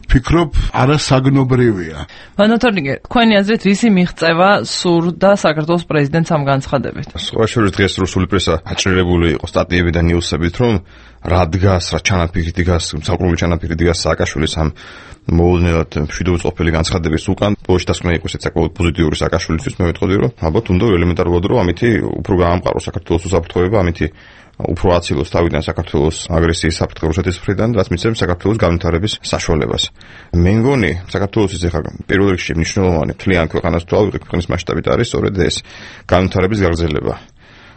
ვფიქრობ, არასაგნობრივია. ვანოთორნიკე, თქვენი აზრით რისი მიღწევა სურდა საქართველოს პრეზიდენტს ამ განცხადებით? სხვა შორის დღეს რუსული პრესა აჭრილებული იყო სტატიები და ნიუსებით, რომ რა დგას, რა ჩანაფიქრი დგას, საკრული ჩანაფიქრი დგას სააკაშვილის ამ მოულოდნელად მშვიდობის ყოფილი განცხადების უკან. ბოლოში დასკვნა იყო საკმაოდ პოზიტიური სააკაშვილისთვის, მე ვიტყოდი, რომ ალბათ უნდა ელემენტარულად რომ ამითი უფრო გაამყაროს საქართველოს უსაფრთხოება, ამითი უფრო აცილოს თავიდან საქართველოს აგრესიის საფრთხე რუსეთის მხრიდან, რაც მისცემს საქართველოს განვითარების საშუალებას. მე მგონი, საქართველოსთვის ახლა პირველ რიგში მნიშვნელოვანი მთლიან ქვეყანას თუ ავიღეთ, ქვეყნის მასშტაბით არის სწორედ ეს განვითარების გაგრძელება.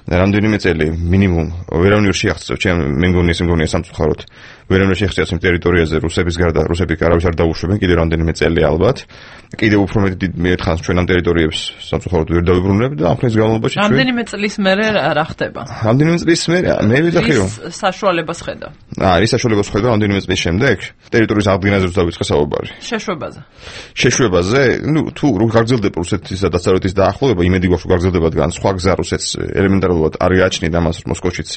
რამდენიმე წელი მინიმუმ ვერავინ ვერ შეაღწევს, მე მგონი სამწუხაროდ ვერავინ ვერ შეაღწევს იმ ტერიტორიაზე რუსების გარდა, რუსები არავის არ დაუშვებენ კიდევ რამდენიმე წელი ალბათ. კიდევ უფრო მეტი ხანს ჩვენ ამ ტერიტორიებს სამწუხაროდ ვერ დავიბრუნებთ და ამ ხნის განმავლობაში ჩვენ რამდენიმე წლის მერე რა ხდება? რამდენიმე წლის მერე მე ვიძახი რომ საშუალებას ხედავ. ის საშუალებას ხედავ რამდენიმე წლის შემდეგ ტერიტორიის აღდგენაზე დავიწყე საუბარი. შეშვებაზე, თუ გაგრძელდება რუსეთის და დასავლეთის დაახლოება, იმედი გვაქვს რომ გაგრძელდება დგან სხვა გზა რუსეთს ელემენტარულად არ გააჩნია ამას მოსკოვშიც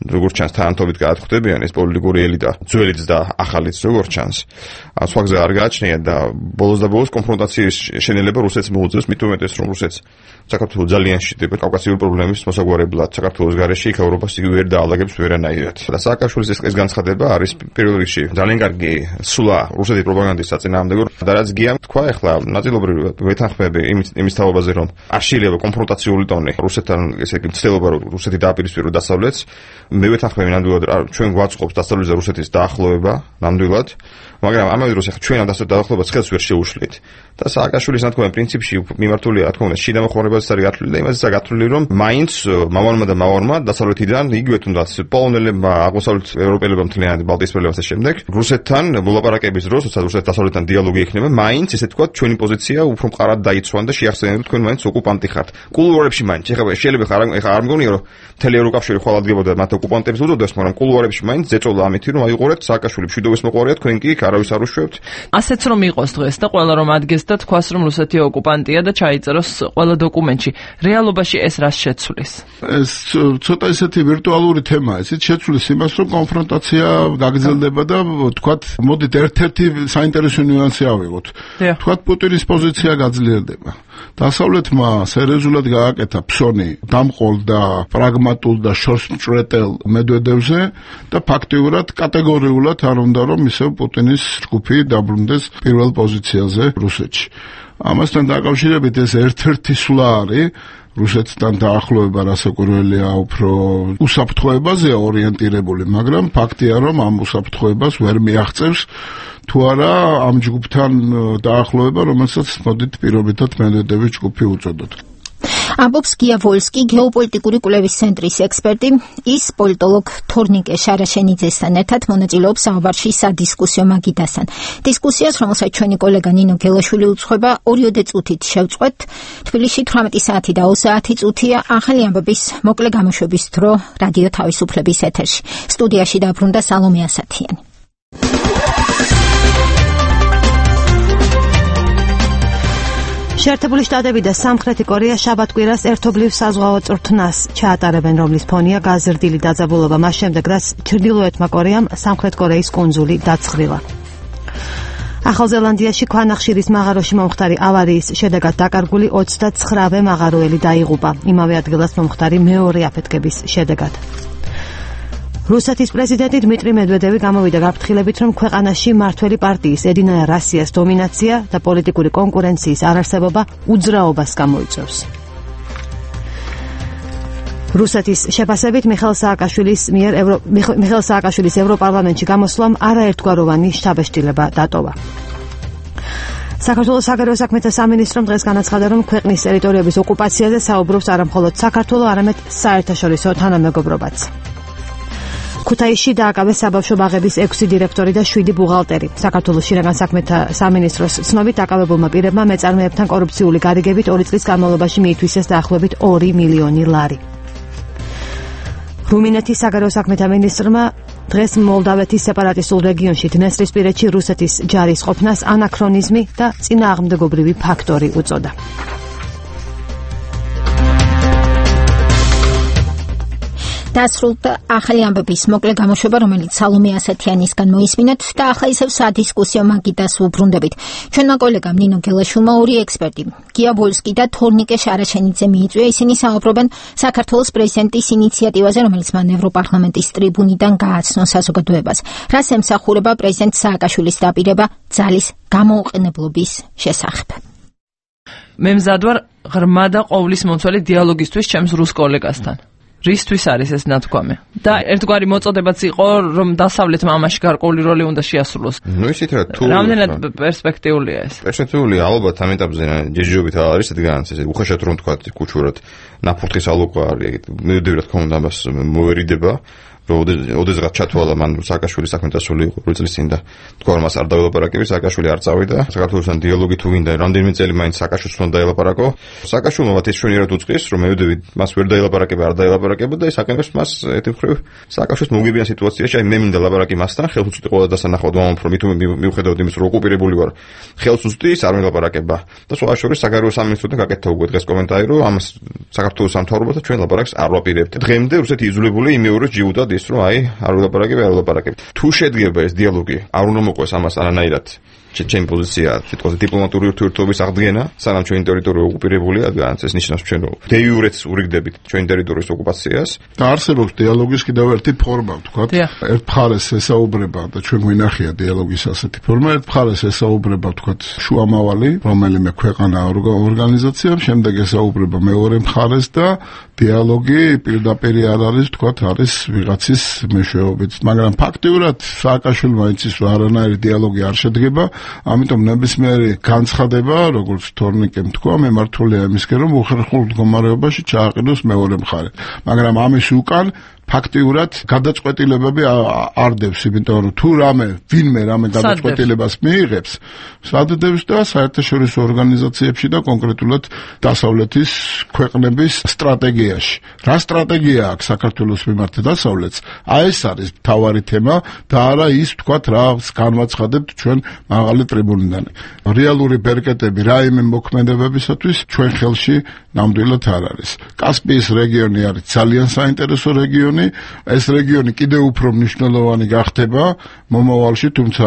როგორც ჩანს თანამთობით გაათხდებიან ეს პოლიტიკური ელიტა, ძველიც და ახალიც როგორც ჩანს. სხვა გზა არ გააჩნია და ბოლოს და ბოლოს კონფრონტაციის შენელება რუსეთს მოუწევს, მით უმეტეს რომ რუსეთს საქართველოს ძალიან შიდება კავკასიური პრობლემის მოსაგვარებლად, საქართველოს გარეშე იქ ევროპას ვერ დაალაგებს ვერანაირად. და სააკაშვილის ეს განცხადება არის პირველ რიგში ძალიან კარგი სულა რუსეთის პროპაგანდის საწინააღმდეგო და რაც გია თქვა ახლა ნაწილობრივ ვეთანხმები იმის თავობაზე რომ არ შეიძლება კონფრონტაციული ტონი რუსეთთან ესე იგი ცდილობა რომ რუსეთი დააპირისპიროს დასავლეთს, მე ვეთანხმები ნამდვილად ჩვენ გვაწყობს დასავლეთის და რუსეთის დაახლოება ნამდვილად, მაგრამ ამავე დროს ახლა ჩვენ ამ დაახლოებას ხელს ვერ შეუშლით. და სააკაშვილის ნათქვამი პრინციპში მიმართულია, რა თქმა უნდა, შიდა მოხმარებაზეც არის გათვლილი და იმაზეც არის გათვლილი, რომ მაინც მამალმა და მავარმა დასავლეთიდან იგივე თუნდაც პოლონელებმა, აღმოსავლეთ ევროპელებმა მთლიანად ბალტიისპირელებმა და შემდეგ რუსეთთან მოლაპარაკების დროს, როცა რუსეთის დასავლეთთან დიალოგი ექნება, მაინც ესე თქვა ჩვენი პოზიცია უფრო მყარად დაიცვან და შეახსენეთ, რომ თქვენ მაინც ოკუპანტი ხართ. კულუარებში მაინც ეხლა შეიძლება ახლა არ მგონია, რომ მთელი ევროკავშირი ხვალ ადგებოდა მათ ოკუპანტებს უწოდეს, მაგრამ კულუარებში მაინც ზეწოლა ამითი, რომ აიღურეთ სააკაშვილი მშვიდობის მოყვარია, თქვენ კი არავის არ უშვებთ. ასეც რომ იყოს დღეს და ყველა რომ ადგეს და თქვას რომ რუსეთი ოკუპანტია და ჩაიწეროს ყველა დოკუმენტში. რეალობაში ეს რას შეცვლის? ეს ცოტა ისეთი ვირტუალური თემაა, ისიც შეცვლის იმას, რომ კონფრონტაცია გაგრძელდება და თქვათ, მოდით ერთ-ერთი საინტერესო ნიუანსი ავიღოთ. თქვათ, პუტინის პოზიცია გაძლიერდება. დასავლეთმა სერიოზულად გააკეთა ფსონი, დამყოლ და პრაგმატულ და შორსმჭრეტელ მედვედევზე და ფაქტიურად კატეგორიულად არ უნდა რომ ისევ პუტინის ჯგუფი დაბრუნდეს პირველ პოზიციაზე რუსეთში. ამასთან დაკავშირებით ეს ერთ-ერთი სვლა არის რუსეთთან დაახლოება რასაკვირველია უფრო უსაფრთხოებაზეა ორიენტირებული, მაგრამ ფაქტია რომ ამ უსაფრთხოებას ვერ მიაღწევს თუ არა ამ ჯგუფთან დაახლოება, რომელსაც მოდით პირობითად მედვედევის ჯგუფი უწოდოთ. ამბობს გია ვოლსკი, გეოპოლიტიკური კვლევის ცენტრის ექსპერტი. ის პოლიტოლოგ თორნიკე შარაშენიძესთან ერთად მონაწილეობს საუბარში სადისკუსიო მაგიდასთან. დისკუსიას, რომელსაც ჩვენი კოლეგა ნინო გელაშვილი უძღვება, 2 წუთით შევწყვეტ. თბილისში 18 საათი და 20 წუთია ახალი ამბების მოკლე გამოშვების დრო რადიო თავისუფლების ეთერში. სტუდიაში დაბრუნდა სალომე ასათიანი. შეერთებული შტატები და სამხრეთი კორეა შაბათ-კვირას ერთობლივ საზღვაო წვრთნას ჩაატარებენ, რომლის ფონია გაზრდილი დაძაბულობა მას შემდეგ, რაც ჩრდილოეთმა კორეამ სამხრეთ კორეის კუნძული დაცხრილა. ახალ ზელანდიაში ქვანახშირის მაღაროში მომხდარი ავარიის შედეგად დაკარგული 29-ვე მაღაროელი დაიღუპა. იმავე ადგილას მომხდარი მეორე აფეთქების შედეგად. რუსეთის პრეზიდენტი დმიტრი მედვედევი გამოვიდა გაფრთხილებით, რომ ქვეყანაში მმართველი პარტიის ედინაია რასიას დომინაცია და პოლიტიკური კონკურენციის არარსებობა უძრაობას გამოიწვევს. რუსეთის შეფასებით მიხეილ სააკაშვილის ევროპარლამენტში გამოსვლამ არაერთგვაროვანი შთაბეჭდილება დატოვა. საქართველოს საგარეო საქმეთა სამინისტრომ დღეს განაცხადა, რომ ქვეყნის ტერიტორიების ოკუპაციაზე საუბრობს არამხოლოდ საქართველო, არამედ საერთაშორისო თანამეგობრობაც. ქუთაისში დააკავეს საბავშვო ბაღების 6 დირექტორი და 7 ბუღალტერი. საქართველოს შინაგან საქმეთა სამინისტროს ცნობით დაკავებულმა პირებმა მეწარმეებთან კორუფციული გარიგებით 2 წლის განმავლობაში მიითვისეს დაახლოებით 2 მილიონი ლარი. რუმინეთის საგარეო საქმეთა მინისტრმა დღეს მოლდავეთის სეპარატისტულ რეგიონში დნესტრისპირეთში რუსეთის ჯარის ყოფნას ანაქრონიზმი და წინააღმდეგობრივი ფაქტორი უწოდა. დასრულდა ახალი ამბების მოკლე გამოშვება, რომელიც სალომე ასათიანისგან მოისმინეთ და ახლა ისევ სადისკუსიო მაგიდას ვუბრუნდებით. ჩვენმა კოლეგამ ნინო გელაშვილმა 2 ექსპერტი, გია ვოლსკი და თორნიკე შარაშენიძე მიიწვია. ისინი საუბრობენ საქართველოს პრეზიდენტის ინიციატივაზე, რომელიც მან ევროპარლამენტის ტრიბუნიდან გააცნო საზოგადოებას. რას ემსახურება პრეზიდენტ სააკაშვილის დაპირება ძალის გამოუყენებლობის შესახებ. მე მზად ვარ ღრმა და ყოვლისმომცველი დიალოგისთვის ჩემს რუს კოლეგასთან. რისთვის არის ეს ნათქვამი? და ერთგვარი მოწოდებაც იყო, რომ დასავლეთმა ამაში გარკვეული როლი უნდა შეასრულოს. ისეთ რა თუ რამდენად პერსპექტიულია ეს? პერსპექტიულია, ალბათ ამ ეტაპზე ჯეჯობით არის რადგან ეს უხეშად რომ თქვა კუჩურად ნაფურთხის ალოყა არის. მე ვიდეო რა თქმა უნდა მას მოერიდება. ოდესღაც ჩათვალა მან სააკაშვილის საქმეთასული იყო 2 წლის წინ და თქვა რომ მას არ დაელაპარაკებს, სააკაშვილი არ წავიდა. საქართველოსთან დიალოგი თუ გინდა, რამდენიმე წელი მაინც სააკაშვილს უნდა დაელაპარაკო. სააკაშვილმა ეს შვენიერად უწყის, რომ მედვედევი მას ვერ დაელაპარაკება, არ დაელაპარაკება და ეს აკეთებს მას ერთი მხრივ სააკაშვილის მოგებიან სიტუაციაში. აი მე მინდა ლაპარაკი მასთან, ხელს უწვდი ყველა დასანახავად ვამბობ, რომ მიუხედავად იმის რომ ოკუპირებული ვარ, ხელს უწვდი, არ მელაპარაკება. და სხვა შორის საგარეო სამინისტროდან გაკეთდა უკვე დღეს კომენტარი, რომ ამას საქართველოს სამთავრობათა ჩვენ ლაპარაკს არ ვაპირებთ. დღემდე რუსეთი იზოლებული იმეოროს ჯიუდა ის რომ აი არ ვილაპარაკებ. თუ შედგება ეს დიალოგი, არ უნდა მოყვეს ამას არანაირად. ჩემი პოზიცია სიტყვაზე დიპლომატიური ურთიერთობების აღდგენა, სანამ ჩვენი ტერიტორია ოკუპირებულია, განაც ეს ნიშნავს ჩვენ დე იურეც ურიგდებით ჩვენი ტერიტორიის ოკუპაციას. და არსებობს დიალოგის კიდევ ერთი ფორმა, ვთქვათ. ერთ მხარეს ესაუბრება და ჩვენ გვინახია დიალოგის ასეთი ფორმა, ერთ მხარეს ესაუბრება, ვთქვათ, შუამავალი, რომელიმე ქვეყანა ორგანიზაცია, შემდეგ ესაუბრება მეორე მხარეს და დიალოგი პირდაპირ არ არის, ვთქვათ, არის ვიღაცის მეშვეობით. მაგრამ ფაქტიურად სააკაშვილმა იცის, რომ არანაირი დიალოგი არ შედგება. ამიტომ ნებისმიერი განცხადება, როგორც თორნიკემ თქვა, მემართულია იმისკენ, რომ უხერხულ მდგომარეობაში ჩააყენოს მეორე მხარე. მაგრამ ამის უკან ფაქტიურად გადაწყვეტილებები არ დევს, იმიტომ რომ თუ ვინმე რამე გადაწყვეტილებას მიიღებს, სადდევს და საერთაშორისო ორგანიზაციებში და კონკრეტულად დასავლეთის ქვეყნების სტრატეგიაში. რა სტრატეგია აქვს საქართველოს მიმართ დასავლეთს? აი ეს არის მთავარი თემა და არა ის, ვთქვათ, რა განვაცხადებთ ჩვენ მაღალი ტრიბუნიდან. რეალური ბერკეტები რაიმე მოქმედებებისათვის ჩვენ ხელში ნამდვილად არ არის. კასპიის რეგიონი არის ძალიან საინტერესო რეგიონი. მნიშვნელოვანი, ეს რეგიონი კიდევ უფრო მნიშვნელოვანი გახდება მომავალში, თუმცა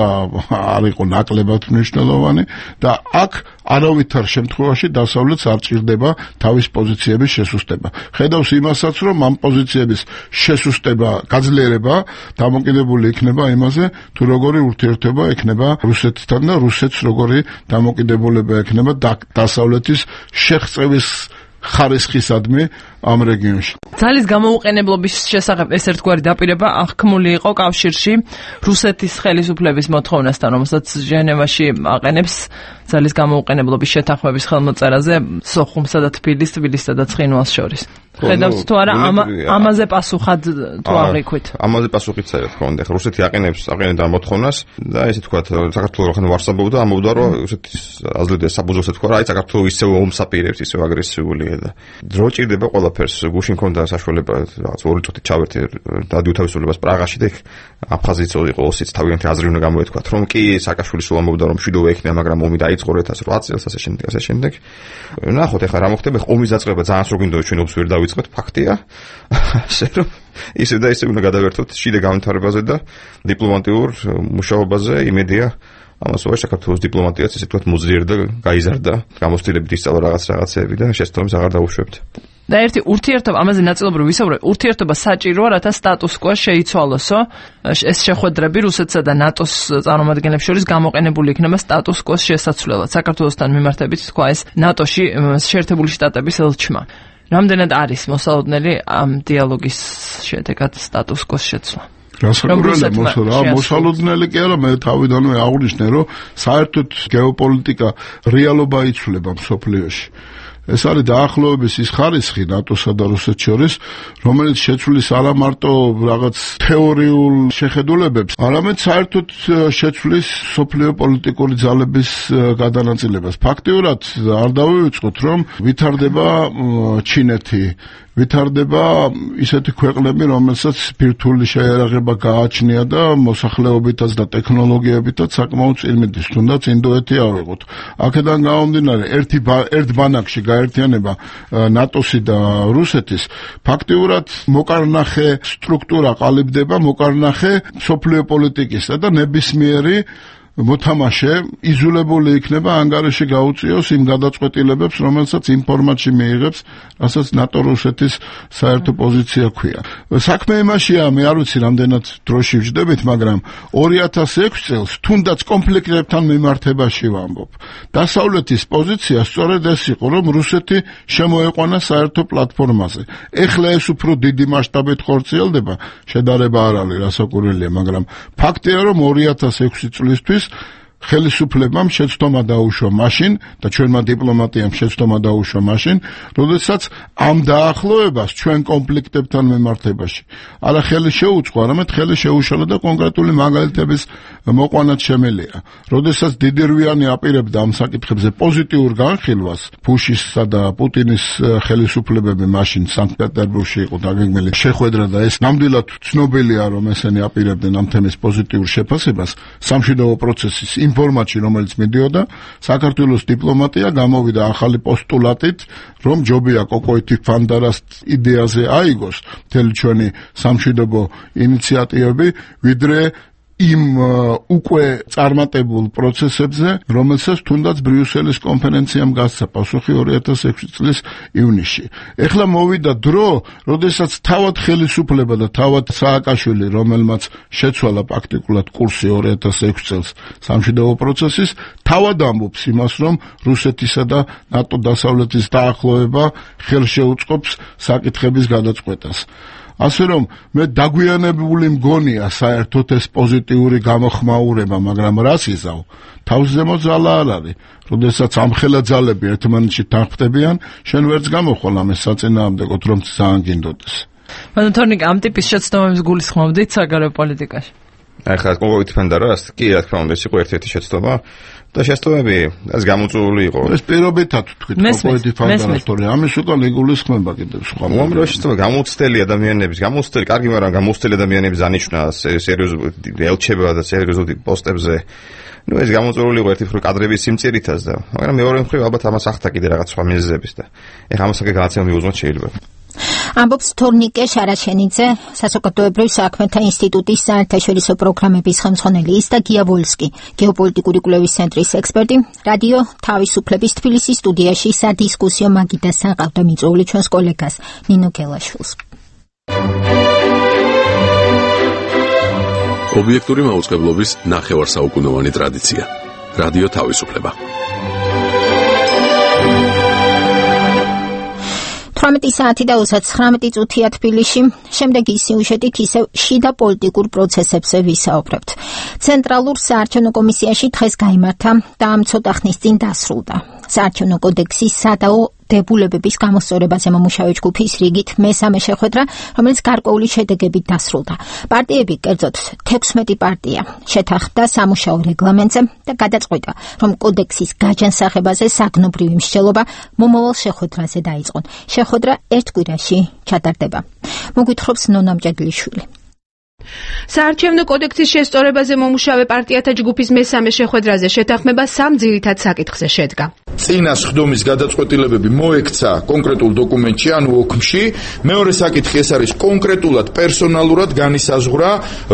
არ იყო ნაკლებად მნიშვნელოვანი და აქ არავითარ შემთხვევაში დასავლეთს არ ჭირდება თავის პოზიციების შესუსტება. ხედავს იმასაც, რომ ამ პოზიციების შესუსტება, გაძლიერება დამოკიდებული იქნება იმაზე, თუ როგორი ურთიერთობა ექნება რუსეთთან და რუსეთს როგორი დამოკიდებულება ექნება დასავლეთის შეღწევის ხარისხისადმი ამ რეგიონში. ძალის გამოუყენებლობის შესახებ ეს ერთგვარი დაპირება აღქმული იყო კავშირში რუსეთის ხელისუფლების მოთხოვნასთან, რომელსაც ჟენევაში აყენებს ძალის გამოუყენებლობის შეთანხმების ხელმოწერაზე სოხუმსა და თბილისსა და ცხინვალს შორის. ხედავთ თუ არა ამაზე პასუხად თუ აღიქვით? ამაზე პასუხიც არა თქო უნდა. რუსეთი აყენებდა მოთხოვნას და ესე თქვათ საქართველოს ხან ვარსაბობდა ამობდა რომ რუსეთის აზრდა საბუზოს თქვა რა აი საქართველოს ისევ ომსაპირებს ისევ აგრესიულია და დრო ჭირდება ყველაფერს. გუშინ ქონდა საშუალება რაღაც 2 წუთით ჩავერთე რადიო თავისუფლებას პრაღაში და აფხაზიც იყო ოსიც თავიანთი აზრი უნდა გამოეთქვათ რომ კი სააკაშვილი სულ ამბობდა რომ მშვიდობა ექნება მაგრამ ომი დაიწყო 2008 წელს ასე შემდეგ. ნახოთ ახლა რა მოხდება ომის დაწყება ძალიან სულ გინდოდა ჩვენ ომს ვერ დავიწყოთ ფაქტია. ასე რომ ისე და ისე უნდა გადავერთოთ შიდა განვითარებაზე და დიპლომატიურ მუშაობაზე იმედია ამას ვარ საქართველოს დიპლომატიაც ესე ვთქვათ მოძლიერდა გაიზარდა გამოცდილებით ისწავლა რაღაცეები და შესაბამისად აღარ დაუშვებთ. და ერთი ურთიერთობა ამაზე ნაწილობრივ ვისაუბრე ურთიერთობა საჭიროა რათა სტატუს კვო შეიცვალოსო ეს შეხვედრები რუსეთსა და ნატოს წარმომადგენლებს შორის გამოყენებული იქნება სტატუს კვოს შესაცვლელად საქართველოსთან მიმართებით თქვა ეს ნატოში შეერთებული შტატების ელჩმა. რამდენად არის მოსალოდნელი ამ დიალოგის შედეგად სტატუს კვოს შეცვლა? მოსალოდნელი კი არა, მე თავიდანვე აღვნიშნე, რომ საერთოდ გეოპოლიტიკა რეალობა იცვლება მსოფლიოში. ეს არის დაახლოების ის ხარისხი ნატოსა და რუსეთს შორის, რომელიც შეცვლის არა მარტო რაღაც თეორიულ შეხედულებებს, არამედ საერთოდ შეცვლის სოფლიო პოლიტიკური ძალების გადანაწილებას. ფაქტიურად არ დავივიწყოთ, რომ ვითარდება ჩინეთი, ვითარდება ისეთი ქვეყნები, რომელსაც ბირთვული შეიარაღება გააჩნია და მოსახლეობითაც და ტექნოლოგიებითაც საკმაოდ წინმიდის, თუნდაც ინდოეთი ავიღოთ. აქედან გამომდინარე, ერთ ბანაკში გაერთიანება ნატოსი და რუსეთის, ფაქტიურად მოკარნახე სტრუქტურა ყალიბდება, მოკარნახე მსოფლიო პოლიტიკისა და ნებისმიერი მოთამაშე იზოლებული იქნება ანგარიში გაუწიოს იმ გადაწყვეტილებებს, რომელსაც იმ ფორმატში მიიღებს, რასაც ნატო რუსეთის საერთო პოზიცია ქვია. საქმე იმაშია, მე არ ვიცი რამდენად დროში ვჯდებით, მაგრამ 2006 წელს თუნდაც კონფლიქტებთან მიმართებაში ვამბობ. დასავლეთის პოზიცია სწორედ ეს იყო, რომ რუსეთი შემოეყვანა საერთო პლატფორმაზე. ეხლა ეს უფრო დიდი მასშტაბით ხორციელდება, შედარება არ არის რასაკვირველია, მაგრამ ფაქტია, რომ 2006 წლისთვის ხელისუფლებამ შეცდომა დაუშვა მაშინ და ჩვენმა დიპლომატიამ შეცდომა დაუშვა მაშინ, როდესაც ამ დაახლოებას ჩვენ კონფლიქტებთან მიმართებაში არა ხელი შეუწყო, არამედ ხელი შეუშალა და კონკრეტული მაგალითების მოყვანაც შემელია. როდესაც დიდირვიანი აპირებდა ამ საკითხებზე პოზიტიურ განხილვას, ბუშისა და პუტინის ხელისუფლებები მაშინ სანქტ-პეტერბურგში იყო დაგეგმილი შეხვედრა და ეს ნამდვილად ცნობილია, რომ ესენი აპირებდნენ ამ თემის პოზიტიურ შეფასებას, სამშვიდობო პროცესის იმ ფორმატში, რომელიც მიდიოდა, საქართველოს დიპლომატია გამოვიდა ახალი პოსტულატით, რომ ჯობია კოკოითი ფანდარას იდეაზე აიგოს მთელი ჩვენი სამშვიდობო ინიციატივები, ვიდრე იმ უკვე წარმატებულ პროცესებზე, რომელსაც თუნდაც ბრიუსელის კონფერენციამ გასცა პასუხი 2006 წლის ივნისში. ეხლა მოვიდა დრო, როდესაც თავად ხელისუფლება და თავად სააკაშვილი, რომელმაც შეცვალა პრაქტიკულად კურსი 2006 წელს სამშვიდობო პროცესის, თავად ამბობს იმას, რომ რუსეთისა და ნატო დასავლეთის დაახლოება ხელშეუწყობს საკითხების გადაწყვეტას. ასე რომ მე დაგვიანებული მგონია საერთოდ ეს პოზიტიური გამოხმაურება, მაგრამ რას იზავ? თავზემო ძალა არ არის. როდესაც ამხელა ძალები ერთმანეთში თანხმდებიან, შენ ვერც გამოხვალ ამის საწინააღმდეგოდ, რომ ძალიან გინდოდეს. მაგრამ თორნიკ ამ ტიპის შეცდომებს გულისხმობდით საგარეო პოლიტიკაში? ახლა კოკოითი ფანდარას კი რა თქმა უნდა ის იყო ერთ-ერთი შეცდომა. და შეცდომები ეს გამოწვეული იყო. ეს პირობითად თქვით კოკოითი ფანდარას, თორე ამის უკან იგულისხმება კიდევ სხვა. უამრავი შეცდომა გამოცდელი ადამიანების, კარგი, მაგრამ გამოცდელი ადამიანების ანიშნა სერიოზული ელჩება და სერიოზული პოსტებზე. ეს გამოწვეული იყო ერთი მხრივ კადრების სიმწირითაც და მაგრამ მეორე მხრივ ალბათ ამას ახთა კიდე რაღაც სხვა მიზეზების და ეხლა ამასაკე განაცემა მიუძღოთ შეიძლება. ამბობს თორნიკე შარაშენიძე, საზოგადოებრივ საქმეთა ინსტიტუტის საერთაშორისო პროგრამების ხელმძღვანელი ის და გია ვოლსკი, გეოპოლიტიკური კვლევის ცენტრის ექსპერტი, რადიო თავისუფლების თბილისის სტუდიაში სადისკუსიო მაგიდასთან ყავდა მიწვეული ჩვენს კოლეგას ნინო გელაშვილს. ობიექტური მაუწყებლობის ნახევარსაუკუნოვანი ტრადიცია. რადიო თავისუფლება. 18 საათი და 39 წუთია თბილისში. შემდეგი სიუჟეტით ისევ შიდა პოლიტიკურ პროცესებზე ვისაუბრებთ. ცენტრალურ საარჩევნო კომისიაში დღეს გაიმართა და ამ ცოტა ხნის წინ დასრულდა. საარჩევნო კოდექსის სადაო დებულებების გამოსწორებაზე მომუშავე ჯგუფის რიგით მესამე შეხვედრა, რომელიც გარკვეული შედეგებით დასრულდა. პარტიები, კერძოდ 16 პარტია, შეთანხმდა სამუშაო რეგლამენტზე და გადაწყვიტა, რომ კოდექსის გაჯანსაღებაზე საგნობრივი მსჯელობა მომავალ შეხვედრაზე დაიწყონ. შეხვედრა ერთ კვირაში ჩატარდება. მოგვითხრობს ნონა მჭედლიშვილი. საარჩევნო კოდექსის შესწორებაზე მომუშავე პარტიათა ჯგუფის მესამე შეხვედრაზე შეთანხმება სამ ძირითად საკითხზე შედგა. წინა სხდომის გადაწყვეტილებები მოექცა კონკრეტულ დოკუმენტში, ანუ ოქმში. მეორე საკითხი ეს არის კონკრეტულად პერსონალურად განისაზღვრა,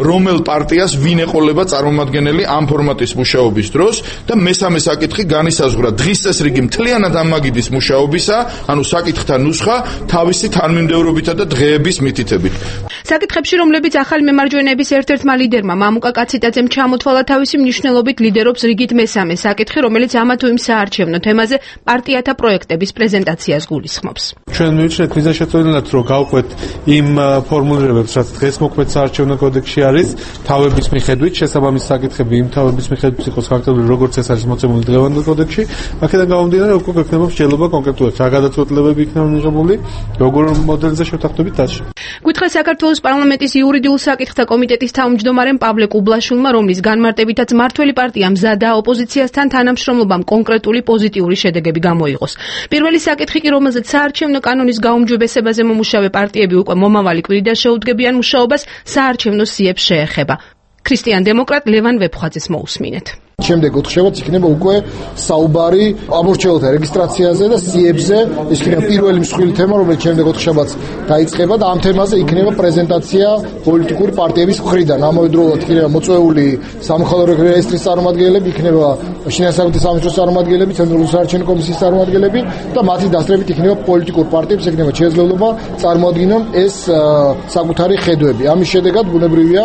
რომელ პარტიას ვინ ეყოლება წარმომადგენელი ამ ფორმატის მუშაობის დროს და მესამე საკითხი განისაზღვრა დღის წესრიგი მთლიანად ამ მაგიდის მუშაობისა, ანუ საკითხთა ნუსხა თავისი თანმიმდევრობითა და დღეების მითითებით. საკითხებში, რომლებიც ახალი მემარჯვენეების ერთ-ერთმა ლიდერმა მამუკა კაციტაძემ ჩამოთვალა თავისი მნიშვნელობით ლიდერობს რიგით მესამე საკითხი, რომელიც ამა თუ იმ საარჩევნო თემაზე პარტიათა პროექტების პრეზენტაციას გულისხმობს. ჩვენ მივიჩნევთ მიზანშეწონილად, რომ გავყვეთ იმ ფორმულირებებს, რაც დღეს მოქმედ საარჩევნო კოდექსში არის, თავების მიხედვით, შესაბამის საკითხები იმ თავების მიხედვით იყოს ხარკებული, როგორც ეს არის მოცემული დღევანდელ კოდექსში. აქედან გამომდინარე, უკვე გვექნება მსჯელობა კონკრეტულად, რა გადაწყვეტილებები იქნება მიღებული, როგორ მოდელზე შევთანხმდებით დასში. გითხრა საქართველოს პარლამენტის იურიდიულ საკითხთა კომიტეტის თავმჯდომარემ პავლე კუბლაშვილმა, რომლის განმარტებითაც მართველი პარტია მზადა ოპოზიციასთან თანამშრომლობამ კონკრეტული პოზიტიური შედეგები გამოიღოს. პირველი საკითხი კი, რომელზეც საარჩევნო კანონის გაუმჯობესებაზე მომუშავე პარტიები უკვე მომავალი კვირიდან შეუდგებიან მუშაობას, საარჩევნო სიებს შეეხება. ქრისტიან დემოკრატ ლევან ვეფხვაძეს მოусმინეთ. შემდეგ ოთხშაბათს იქნება უკვე საუბარი ამორჩეულთა რეგისტრაციაზე და სიებზე. ეს იქნება პირველი მსხვილი თემა, რომელიც შემდეგ ოთხშაბათს დაიწყება და ამ თემაზე იქნება პრეზენტაცია პოლიტიკური პარტიების მხრიდან. ამავდროულად იქნება მოწვეული სამხალხო რეესტრის წარმომადგენლები, იქნება შინაგანსაკუთრების სამინისტროს წარმომადგენლები, ცენტრალური საარჩევნო კომისიის წარმომადგენლები და მათი დასწრებით იქნება პოლიტიკურ პარტიებს იქნება შესაძლებლობა წარმოადგინონ ეს საკუთარი ხედვები. ამის შედეგად ბუნებრივია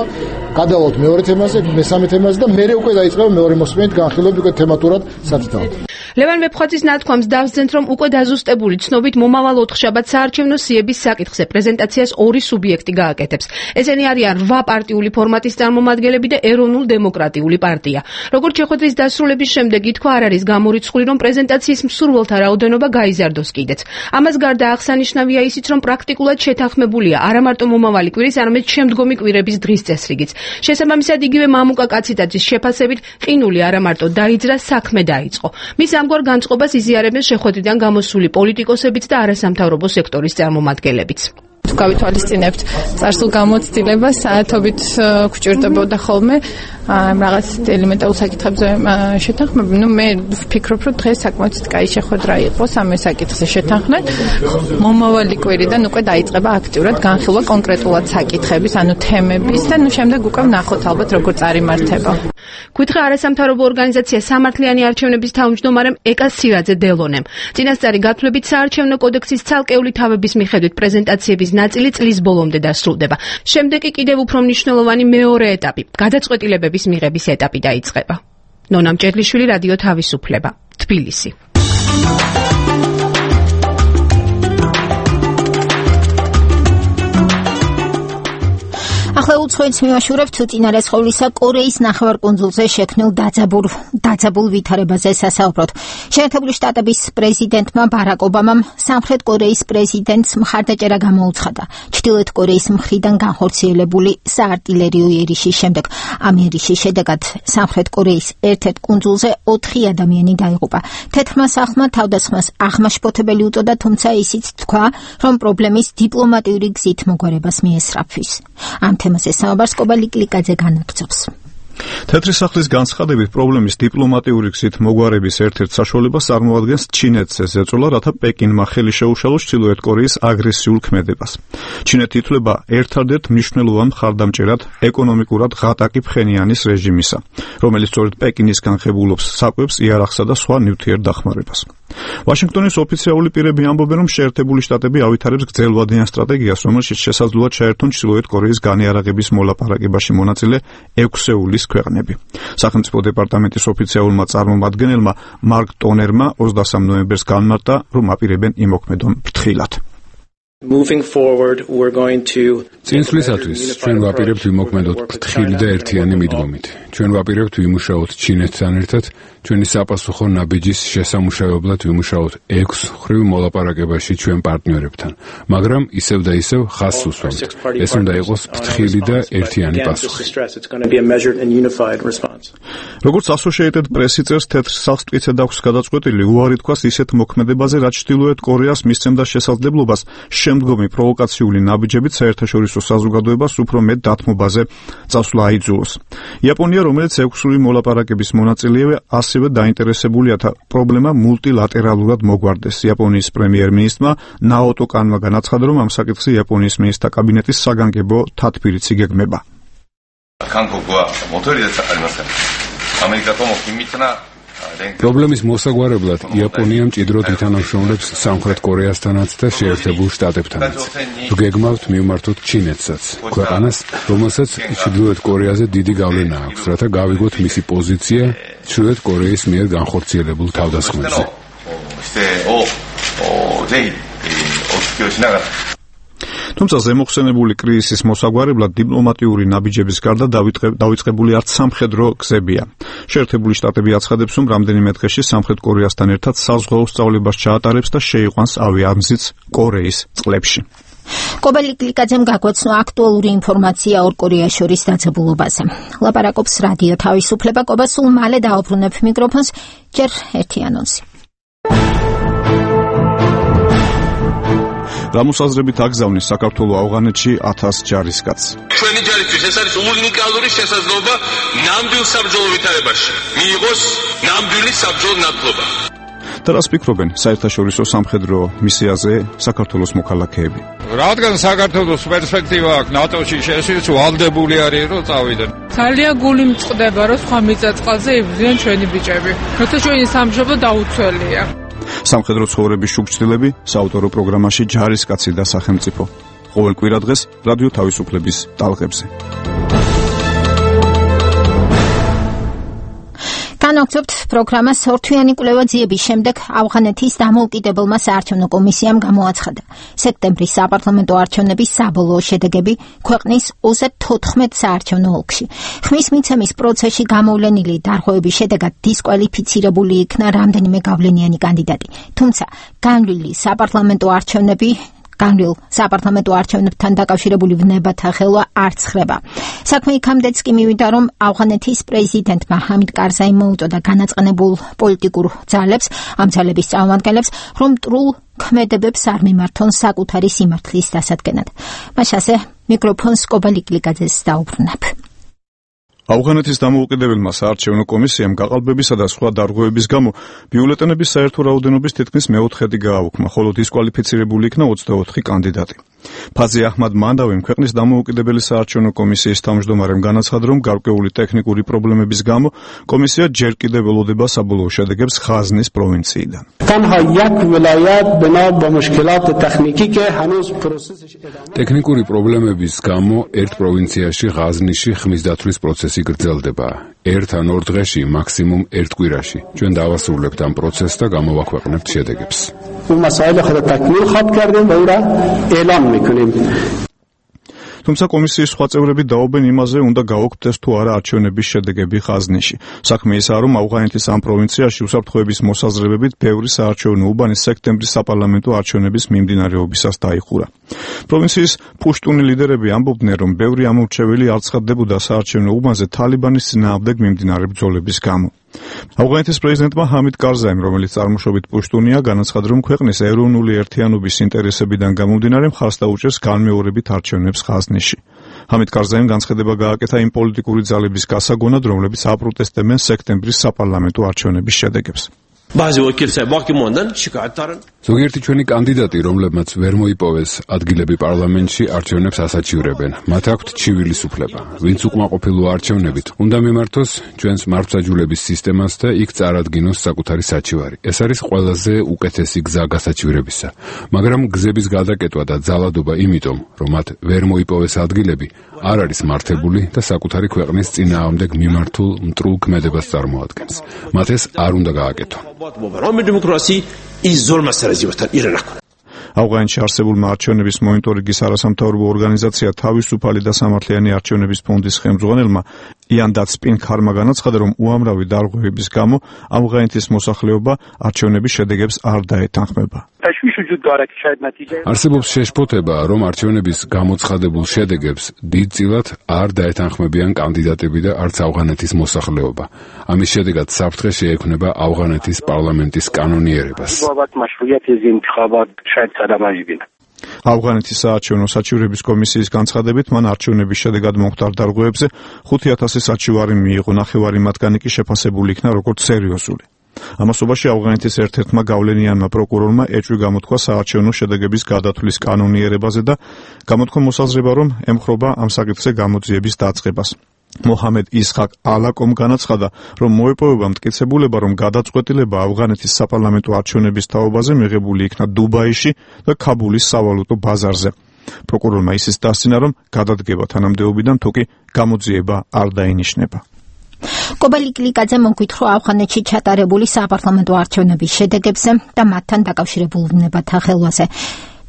გადავალთ მეორე თემაზე, მესამე თემაზე და მერე უკვე დაიწყება მეორე მოსმენით განხილვები უკვე თემატურად სათითაოდ. ლევან ვეფხვაძის ნათქვამს დავსძენთ, რომ უკვე დაზუსტებული ცნობით მომავალ ოთხშაბათს საარჩევნო სიების საკითხზე პრეზენტაციას ორი სუბიექტი გააკეთებს. ესენი არიან 8 პარტიული ფორმატის წარმომადგენლები და ეროვნულ-დემოკრატიული პარტია. როგორც შეხვედრის დასრულების შემდეგ ითქვა, არ არის გამორიცხული, რომ პრეზენტაციის მსურველთა რაოდენობა გაიზარდოს კიდეც. ამას გარდა აღსანიშნავია ისიც, რომ პრაქტიკულად შეთანხმებულია არა მარტო მომავალი კვირის, არამედ შემდგომი კვირების დღის წესრიგიც. შესაბამისად, იგივე მამუკა კაციტაძის შეფასებით, ყინული არა მარტო დაიძრა, საქმე დაიწყო. მის ამგვარ განწყობას იზიარებენ შეხვედრიდან გამოსული პოლიტიკოსებიც და არასამთავრობო სექტორის წარმომადგენლებიც. თუ გავითვალისწინებთ წარსულ გამოცდილებას, საათობით გვჭირდებოდა ხოლმე რაღაც ელემენტარულ საკითხებზე შეთანხმება. მე ვფიქრობ, რომ დღეს საკმაოდ კაი შეხვედრა იყო სამე საკითხზე შეთანხმდით. მომავალი კვირიდან უკვე დაიწყება აქტიურად განხილვა კონკრეტულად საკითხების, ანუ თემების და შემდეგ უკვე ვნახოთ ალბათ როგორ წარიმართება. გითხრა არასამთავრობო ორგანიზაცია სამართლიანი არჩევნების თავმჯდომარემ ეკა სირაძე დელონემ. წინასწარი გათვლებით საარჩევნო კოდექსის ცალკეული თავების მიხედვით პრეზენტაციების ნაწილი წლის ბოლომდე დასრულდება. შემდეგ კი კიდევ უფრო მნიშვნელოვანი მეორე ეტაპი, გადაწყვეტილებების მიღების ეტაპი დაიწყება. ნონა მჭედლიშვილი, რადიო თავისუფლება, თბილისი. ახლა უცხოეთს მივაშურებთ წინარესხოვლისა კორეის ნახევარკუნძულზე შექმნილ დაძაბულ ვითარებაზე სასაუბროთ. შეერთებული შტატების პრეზიდენტმა ბარაკ ობამამ სამხრეთ კორეის პრეზიდენტს მხარდაჭერა გამოუცხადა ჩრდილოეთ კორეის მხრიდან განხორციელებული საარტილერიო იერიშის შემდეგ. ამ იერიშის შედეგად სამხრეთ კორეის ერთ-ერთ კუნძულზე 4 ადამიანი დაიღუპა. თეთრმა სახლმა თავდასხმას აღმაშფოთებელი უწოდა, თუმცა ისიც თქვა, რომ პრობლემის დიპლომატიური გზით მოგვარებას მიესწრაფვის. ამ თემაზე საუბარს კობა ლიკლიკაძე განაგრძობს. თეთრი სახლის განცხადებით პრობლემის დიპლომატიური გზით მოგვარების ერთ-ერთ საშუალებას წარმოადგენს ჩინეთზე ზეწოლა, რათა პეკინმა ხელი შეუშალოს ჩრდილოეთ კორეის აგრესიულ ქმედებას. ჩინეთი ითვლება ერთადერთ მნიშვნელოვან მხარდამჭერად ეკონომიკურად ღატაკი ფხენიანის რეჟიმისა, რომელიც სწორედ პეკინისგან ხებულობს საკვებს, იარაღსა და სხვა ნივთიერ დახმარებას. ვაშინგტონის ოფიციალური პირები ამბობენ, რომ შეერთებული შტატები ავითარებს გრძელვადიან სტრატეგიას, რომელშიც შესაძლოა ჩაერთონ ჩრდილოეთ კორეის განიარაღების მოლაპარაკებაში მონაწილე 6-ეულის ქვეყნები. სახელმწიფო დეპარტამენტის ოფიციალურმა წარმომადგენელმა მარკ ტონერმა 23 ნოემბერს განმარტა, რომ აპირებენ იმოქმედონ ფრთხილად. წინსვლისათვის ჩვენ ვაპირებთ ვიმოქმედოთ ფრთხილი და ერთიანი მიდგომით. ჩვენ ვაპირებთ ვიმუშაოთ ჩინეთთან ერთად, ჩვენი საპასუხო ნაბიჯის შესამუშავებლად ვიმუშაოთ 6 მხრივ მოლაპარაკებაში ჩვენ პარტნიორებთან, მაგრამ ისევ და ისევ ხაზს უსვამთ. ეს უნდა იყოს ფრთხილი და ერთიანი პასუხი. როგორც Associated Press წერს, თეთრ სახლს მტკიცედ აქვს გადაწყვეტილი უარი თქვას ისეთ მოქმედებაზე, რაც ჩრდილოეთ კორეას მისცემდა შესაძლებლობას შემდგომი პროვოკაციული ნაბიჯებით საერთაშორისო საზოგადოებას უფრო მეტ დათმობაზე წასვლა აიძულოს. იაპონია, რომელიც 6-ური მოლაპარაკების მონაწილეა, ასევე დაინტერესებულია პრობლემა მულტილატერალურად მოგვარდეს. იაპონიის პრემიერ-მინისტრმა ნაოტო კანმა განაცხადა, რომ ამ საკითხზე იაპონიის მინისტრთა კაბინეტის საგანგებო თათბირიც იგეგმება. პრობლემის მოსაგვარებლად იაპონია მჭიდროდ ითანამშრომლებს სამხრეთ კორეასთანაც და შეერთებულ შტატებთანაც. ვგეგმავთ მივმართოთ ჩინეთსაც, ქვეყანას, რომელსაც ჩრდილოეთ კორეაზე დიდი გავლენა აქვს, რათა გავიგოთ მისი პოზიცია ჩრდილოეთ კორეის მიერ განხორციელებულ თავდასხმებზე. თუმცა ზემოხსენებული კრიზისის მოსაგვარებლად დიპლომატიური ნაბიჯების გარდა დავიწყებული არც სამხედრო გზებია. შეერთებული შტატები აცხადებს, რომ რამდენიმე დღეში სამხრეთ კორეასთან ერთად საზღვაო სწავლებას ჩაატარებს და შეიყვანს ავიამზიც კორეის წყლებში. კობელი კლიკაძემ გაგვაცნო აქტუალური ინფორმაცია ორ კორეას შორის დაძაბულობაზე. ლაპარაკობს რადიო თავისუფლება. კობა, სულ მალე დაუბრუნებ მიკროფონს, ჯერ ერთი ანონსი. გამოსაზრებით აგზავნის საქართველოს ავღანეთში 1000 ჯარისკაცს. ჩვენი ჯარისთვის ეს არის უნიკალური შესაძლებლობა ნამდვილ საბრძოლო ვითარებაში. მიიღოს ნამდვილი საბრძოლო ნათლობა. და რას ფიქრობენ საერთაშორისო სამხედრო მისიაზე საქართველოს მოქალაქეები? რადგან საქართველოს პერსპექტივა აქვს ნატოში შესვლის, ვალდებული არის რომ წავიდნენ. ძალიან გული მწყდება რომ სხვა მიწა-წყალზე იბრძვიან ჩვენი ბიჭები. როცა ჩვენი სამშობლო დაუცველია. სამხედრო ცხოვრების შუქჩილები საავტორო პროგრამაში ჯარისკაცი და სახელმწიფო. ყოველ კვირა დღეს რადიო თავისუფლების ტალღებზე. განაგრძობთ პროგრამას. ორთვიანი კვლევა ძიების შემდეგ ავღანეთის დამოუკიდებელმა საარჩევნო კომისიამ გამოაცხადა სექტემბრის საპარლამენტო არჩევნების საბოლოო შედეგები ქვეყნის 34 საარჩევნო ოლქში. ხმის მიცემის პროცესში გამოვლენილი დარღვევების შედეგად დისკვალიფიცირებული იქნა რამდენიმე გავლენიანი კანდიდატი. თუმცა განვლილი საპარლამენტო არჩევნებთან დაკავშირებული ვნებათა ხელვა არ ცხრება. საქმე იქამდეც კი მივიდა, რომ ავღანეთის პრეზიდენტმა ჰამიდ კარზაიმ მოუწოდა განაწყენებულ პოლიტიკურ ძალებს, ამ ძალების წარმომადგენლებს, რომ მტრულ ქმედებებს არ მიმართონ საკუთარი სიმართლის დასადგენად. მაშასე მიკროფონს კობელი კლიკაძეს დაუბრუნებ. ავღანეთის დამოუკიდებელმა საარჩევნო კომისიამ გაყალბებისა და სხვა დარღვევების გამო ბიულეტენების საერთო რაოდენობის თითქმის მეოთხედი გააუქმა, ხოლო დისკვალიფიცირებული იქნა 24 კანდიდატი. ფაზი აჰმად მანდავიმ ქვეყნის დამოუკიდებელი საარჩევნო კომისიის თავმჯდომარემ განაცხადა, რომ გარკვეული ტექნიკური პრობლემების გამო კომისია ჯერ კიდევ ველოდება საბოლოო შედეგებს ღაზნის პროვინციიდან. ტექნიკური პრობლემების გამო ერთ პროვინციაში ღაზნიში ხმის დათვლის პროცესი გრძელდება. ერთ ან ორ დღეში, მაქსიმუმ ერთ კვირაში. ჩვენ დავასრულებთ ამ პროცესს და გამოვაქვეყნებთ შედეგებს. თუმცა კომისიის სხვა წევრები დაობენ იმაზე, უნდა გაუქმდეს თუ არა არჩევნების შედეგები ღაზნიში. საქმე ისაა, რომ ავღანეთის ამ პროვინციაში უსაფრთხოების მოსაზრებებით ბევრი საარჩევნო უბანი სექტემბრის საპარლამენტო არჩევნების მიმდინარეობისას დაიხურა. პროვინციის პუშტუნი ლიდერები ამბობდნენ, რომ ბევრი ამორჩეველი არ ცხადდებოდა საარჩევნო უბანზე თალიბანის წინააღმდეგ მიმდინარე ბრძოლების გამო. ავღანეთის პრეზიდენტმა ჰამიდ კარზაიმ, რომელიც წარმოშობით პუშტუნია, განაცხადა, რომ ქვეყნის ეროვნული ერთიანობის ინტერესებიდან გამომდინარე მხარს დაუჭერს განმეორებით არჩევნებს ღაზნიში. ჰამიდ კარზაიმ განცხადება გააკეთა იმ პოლიტიკური ძალების გასაგონად, რომლებიც აპროტესტებენ სექტემბრის საპარლამენტო არჩევნების შედეგებს. ზოგიერთი ჩვენი კანდიდატი, რომლებმაც ვერ მოიპოვეს ადგილები პარლამენტში, არჩევნებს ასაჩივრებენ. მათ აქვთ ჩივილის უფლება. ვინც უკმაყოფილო არჩევნებით, უნდა მიმართოს ჩვენს მართლმსაჯულების სისტემას და იქ წარადგინოს საკუთარი საჩივარი. ეს არის ყველაზე უკეთესი გზა გასაჩივრებისა. მაგრამ გზების გადაკეტვა და ძალადობა იმიტომ, რომ მათ ვერ მოიპოვეს ადგილები, არ არის მართებული და საკუთარი ქვეყნის წინააღმდეგ მიმართულ მტრულ ქმედებას წარმოადგენს. მათ ეს არ უნდა გააკეთონ. ავღანეთში არსებულმა არჩევნების მონიტორინგის არასამთავრობო ორგანიზაცია თავისუფალი და სამართლიანი არჩევნების ფონდის ხელმძღვანელმა იან დაცპინქარმა განაცხადა, რომ უამრავი დარღვევების გამო ავღანეთის მოსახლეობა არჩევნების შედეგებს არ დაეთანხმება. არსებობს შეშფოთება, რომ არჩევნების გამოცხადებულ შედეგებს დიდწილად არ დაეთანხმებიან კანდიდატები და არც ავღანეთის მოსახლეობა. ამის შედეგად საფრთხე შეექმნება ავღანეთის პარლამენტის კანონიერებას. ავღანეთის საარჩევნო საჩივრების კომისიის განცხადებით, მან არჩევნების შედეგად მომხდარ დარღვევებზე 5,000 საჩივარი მიიღო, ნახევარი მათგანი კი შეფასებული იქნა როგორც სერიოზული. ამასობაში ავღანეთის ერთ-ერთმა გავლენიანმა პროკურორმა ეჭვი გამოთქვა საარჩევნო შედეგების გადათვლის კანონიერებაზე და გამოთქვა მოსაზრება, რომ ემხრობა ამ საკითხზე გამოძიების დაწყებას. მოჰამედ ისხაკ ალაკომ განაცხადა, რომ მოეპოვება მტკიცებულება, რომ გადაწყვეტილება ავღანეთის საპარლამენტო არჩევნების თაობაზე მიღებული იქნა დუბაიში და ქაბულის სავალუტო ბაზარზე. პროკურორმა ისიც დასცინა, რომ გადადგება თანამდებობიდან თუ კი გამოძიება არ დაინიშნება. კობალი კლიკაძე მოგვითხრა ავღანეთში ჩატარებული საპარლამენტო არჩევნების შედეგებზე და მათთან დაკავშირებულ ვნებათა ხელვაზე.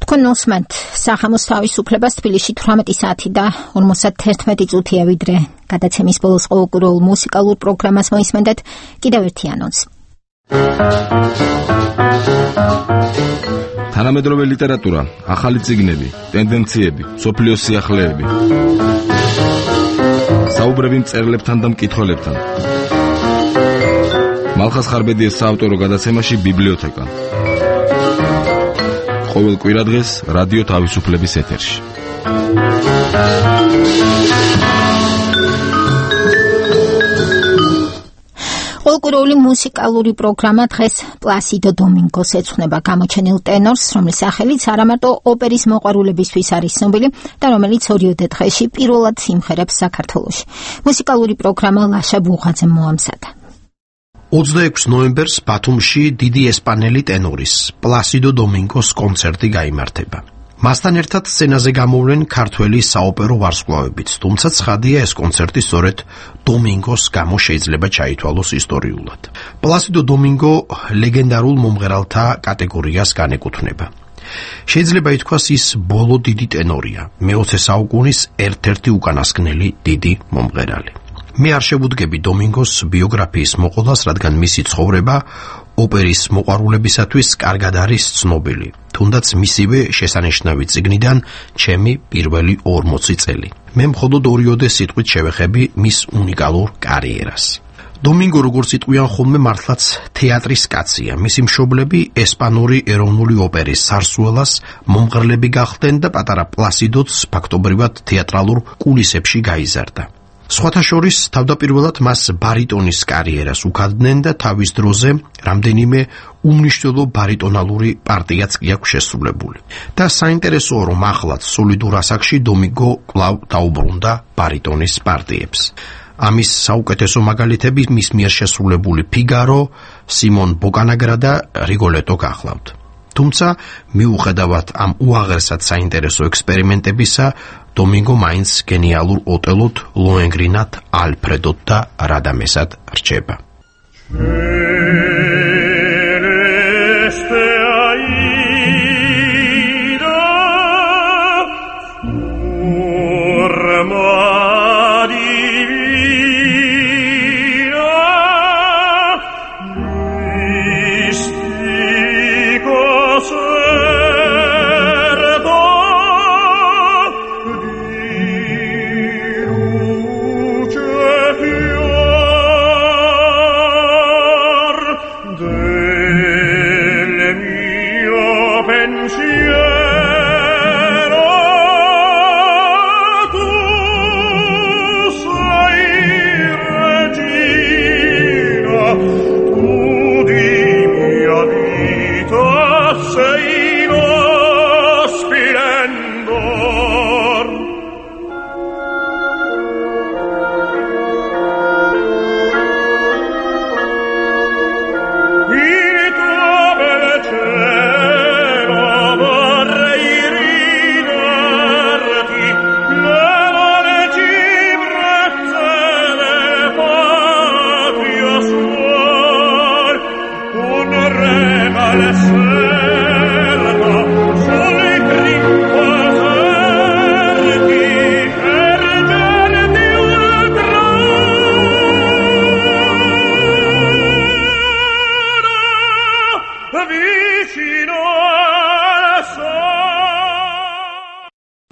თქვენ უსმენთ სახამოს თავისუფლებას თბილისში 18 საათი და 51 წუთია, ვიდრე გადაცემის ბოლოს ყოველკვირეულ მუსიკალურ პროგრამას მოისმენთ. კიდევ ერთი ანონსი. თანამედროვე ლიტერატურა, ახალი წიგნები, ტენდენციები, სოფლიოს სიახლეები. საუბრები მწერლებთან და მკითხველებთან. მალხას ხარბედიეს საავტორო გადაცემაში ბიბლიოთეკა. ყოველ კვირადღეს რადიო თავისუფლების ეთერში. ყოველკვირეული მუსიკალური პროგრამა დღეს პლასიდო დომინგოს ეძღვნება გამოჩენილ ტენორს, რომლის სახელიც არამარტო ოპერის მოყვარულებისთვის არის ცნობილი და რომელიც ორიოდე დღეში პირველად სიმღერებს საქართველოში. მუსიკალური პროგრამა ლაშა ბუღაძემ მოამზადა. 26 ნოემბერს ბათუმში დიდი ესპანელი ტენორის პლასიდო დომინგოს კონცერტი გაიმართება. მასთან ერთად სცენაზე გამოვლენ ქართველი საოპერო ვარსკვლავებიც, თუმცა ცხადია, ეს კონცერტი სწორედ დომინგოს გამო შეიძლება ჩაითვალოს ისტორიულად. პლასიდო დომინგო ლეგენდარულ მომღერალთა კატეგორიას განეკუთვნება. შეიძლება ითქვას, ის ბოლო დიდი ტენორია, მე-20 საუკუნის ერთ-ერთი უკანასკნელი დიდი მომღერალი. მე არ შევუდგები დომინგოს ბიოგრაფიის მოყოლას, რადგან მისი ცხოვრება ოპერის მოყვარულებისათვის კარგად არის ცნობილი, თუნდაც მისივე შესანიშნავი წიგნიდან ჩემი პირველი 40 წელი. მე მხოლოდ ორიოდე სიტყვით შევეხები მის უნიკალურ კარიერას. დომინგო, როგორც იტყვიან ხოლმე, მართლაც თეატრის კაცია. მისი მშობლები ესპანური ეროვნული ოპერის სარსუელას მომღერლები გახდნენ და პატარა პლასიდოც ფაქტობრივად თეატრალურ კულისებში გაიზარდა. სხვათა შორის თავდაპირველად მას ბარიტონის კარიერას უქადდნენ და თავის დროზე რამდენიმე უმნიშვნელო ბარიტონალური პარტიაც კი აქვს შესრულებული. და საინტერესოა, რომ ახლაც სოლიდურ ასაკში დომინგო კვლავ დაუბრუნდა ბარიტონის პარტიებს. ამის საუკეთესო მაგალითები მის მიერ შესრულებული ფიგარო, სიმონ ბოკანაგრა და რიგოლეტო გახლავთ. თუმცა მიუხედავად ამ უაღრესად საინტერესო ექსპერიმენტებისა, დომინგო მაინც გენიალურ ოტელოთ, ლოენგრინად, ალფრედოთ და რადამესად რჩება.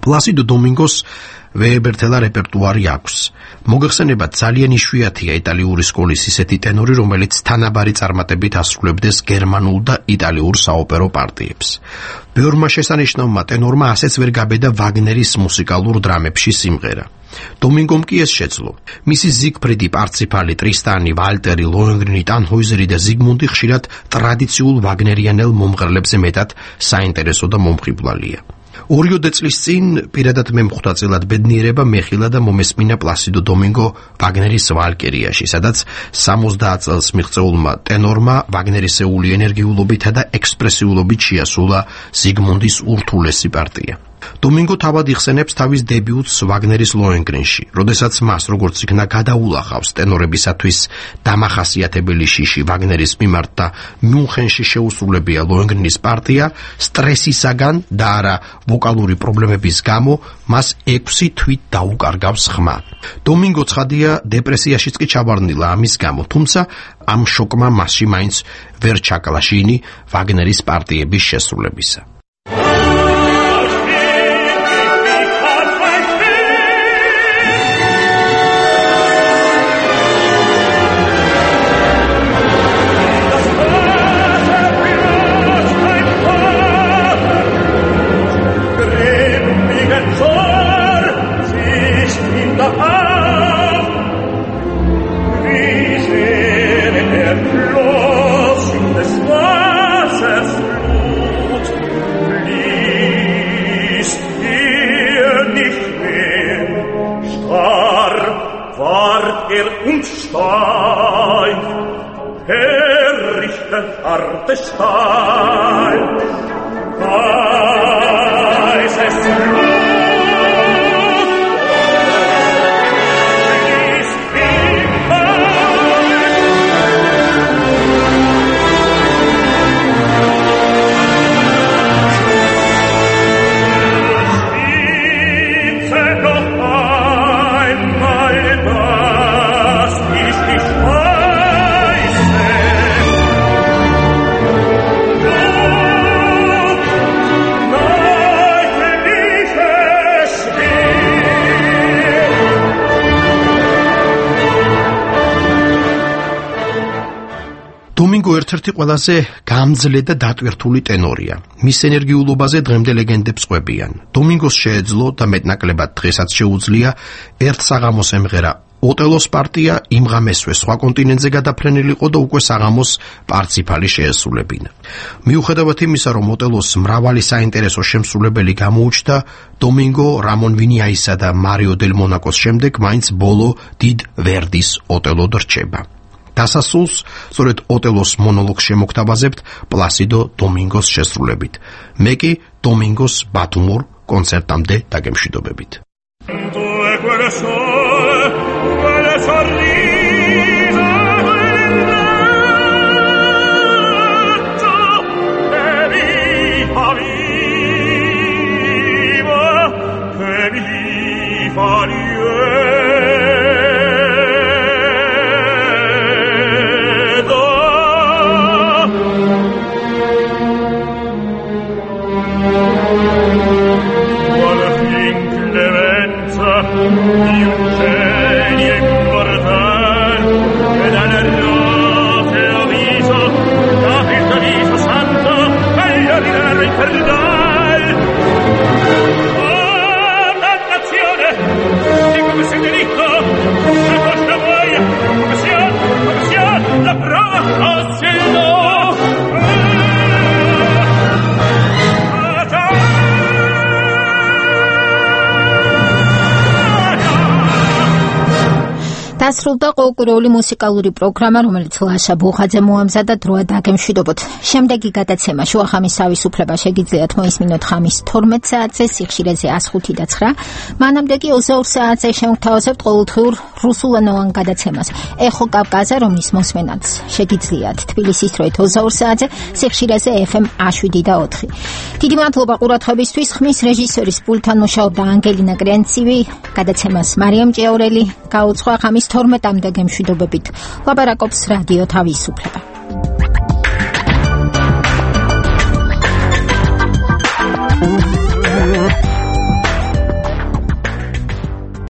პლასიდო დომინგოს ვეებერთელა რეპერტუარი აქვს. მოგეხსენებათ, ძალიან იშვიათია იტალიური სკოლის ისეთი ტენორი, რომელიც თანაბარი წარმატებით ასრულებდეს გერმანულ და იტალიურ საოპერო პარტიებს. ბევრმა შესანიშნავმა ტენორმა ასეც ვერ გაბედა ვაგნერის მუსიკალურ დრამებში სიმღერა. დომინგომ კი ეს შეძლო. მისი ზიგფრიდი, პარციფალი, ტრისტანი, ვალტერი, ლოენგრინი, ტანჰოიზერი და ზიგმუნდი ხშირად ტრადიციულ ვაგნერიანელ მომღერლებზე მეტად საინტერესო და მომხიბვლალია. 2 წლის წინ პირადად მე მხვრდაწილად ბედნიერება მეხილა და მომესმინა პლასიდო დომინგო ვაგნერის ვალკერიაში, სადაც 70 წელს მიღწეულმა ტენორმა ვაგნერისეული ენერგიულობითა და ექსპრესიულობით შეასრულა ზიგმუნდის ურთულესი პარტია. დომინგო თავად იხსენებს თავის დებიუტს ვაგნერის ლოენგრინში, როდესაც მას როგორც იქნა გადაულახავს ტენორებისათვის დამახასიათებელი შიში ვაგნერის მიმართ და მიუნხენში შეუსრულებია ლოენგრინის პარტია, სტრესისაგან და არა ვოკალური პრობლემების გამო მას 6 თვით დაუკარგავს ხმა. დომინგო ცხადია დეპრესიაშიც კი ჩავარდნილა ამის გამო, თუმცა ამ შოკმა მასში მაინც ვერ ჩაკლა შინი ვაგნერის პარტიების შესრულებისა. დომინგო ერთ-ერთი ყველაზე გამძლე და დატვირთული ტენორია. მის ენერგიულობაზე დღემდე ლეგენდებს ყვებიან. დომინგოს შეეძლო და მეტნაკლებად დღესაც შეუძლია ერთ საღამოს ემღერა ოტელოს პარტია, იმ ღამესვე სხვა კონტინენტზე გადაფრენილიყო და უკვე საღამოს პარციფალი შეესრულებინა. მიუხედავად იმისა, რომ ოტელოს მრავალი საინტერესო შემსრულებელი გამოუჩნდა, დომინგო რამონ ვინიაისა და მარიო დელ მონაკოს შემდეგ მაინც ბოლო დიდ ვერდის ოტელოდ რჩება. დასასრულს სწორედ ოტელოს მონოლოგს შემოგთავაზებთ პლასიდო დომინგოს შესრულებით. მე კი დომინგოს ბათუმურ კონცერტამდე დაგემშვიდობებით. დასრულდა ყოველკვირეული მუსიკალური პროგრამა, რომელიც ლაშა ბუხაძე მოამზადა დროა დაგემშვიდობოთ. შემდეგი გადაცემა შუახამის თავისუფლება შეგიძლიათ მოისმინოთ ხამის 12 საათზე, სიხშირეზე 105.9. მანამდე კი 22 საათზე შემოგთავაზებთ ყოველდღიურ რუსულენოვან გადაცემას. ეხო კავკაზე, რომლის მოსმენაც შეგიძლიათ თბილისის დროით 22 საათზე, სიხშირეზე FM 7.4. დიდი მადლობა ყურადღებისთვის. ხმის რეჟისორის პულტთან მუშაობდა ანგელინა კრენცივი, გადაცემას მარიამ ჭიაურელი გაუძღვა ხამის 12-მდე გემშვიდობებით. ლაპარაკობს რადიო თავისუფლება.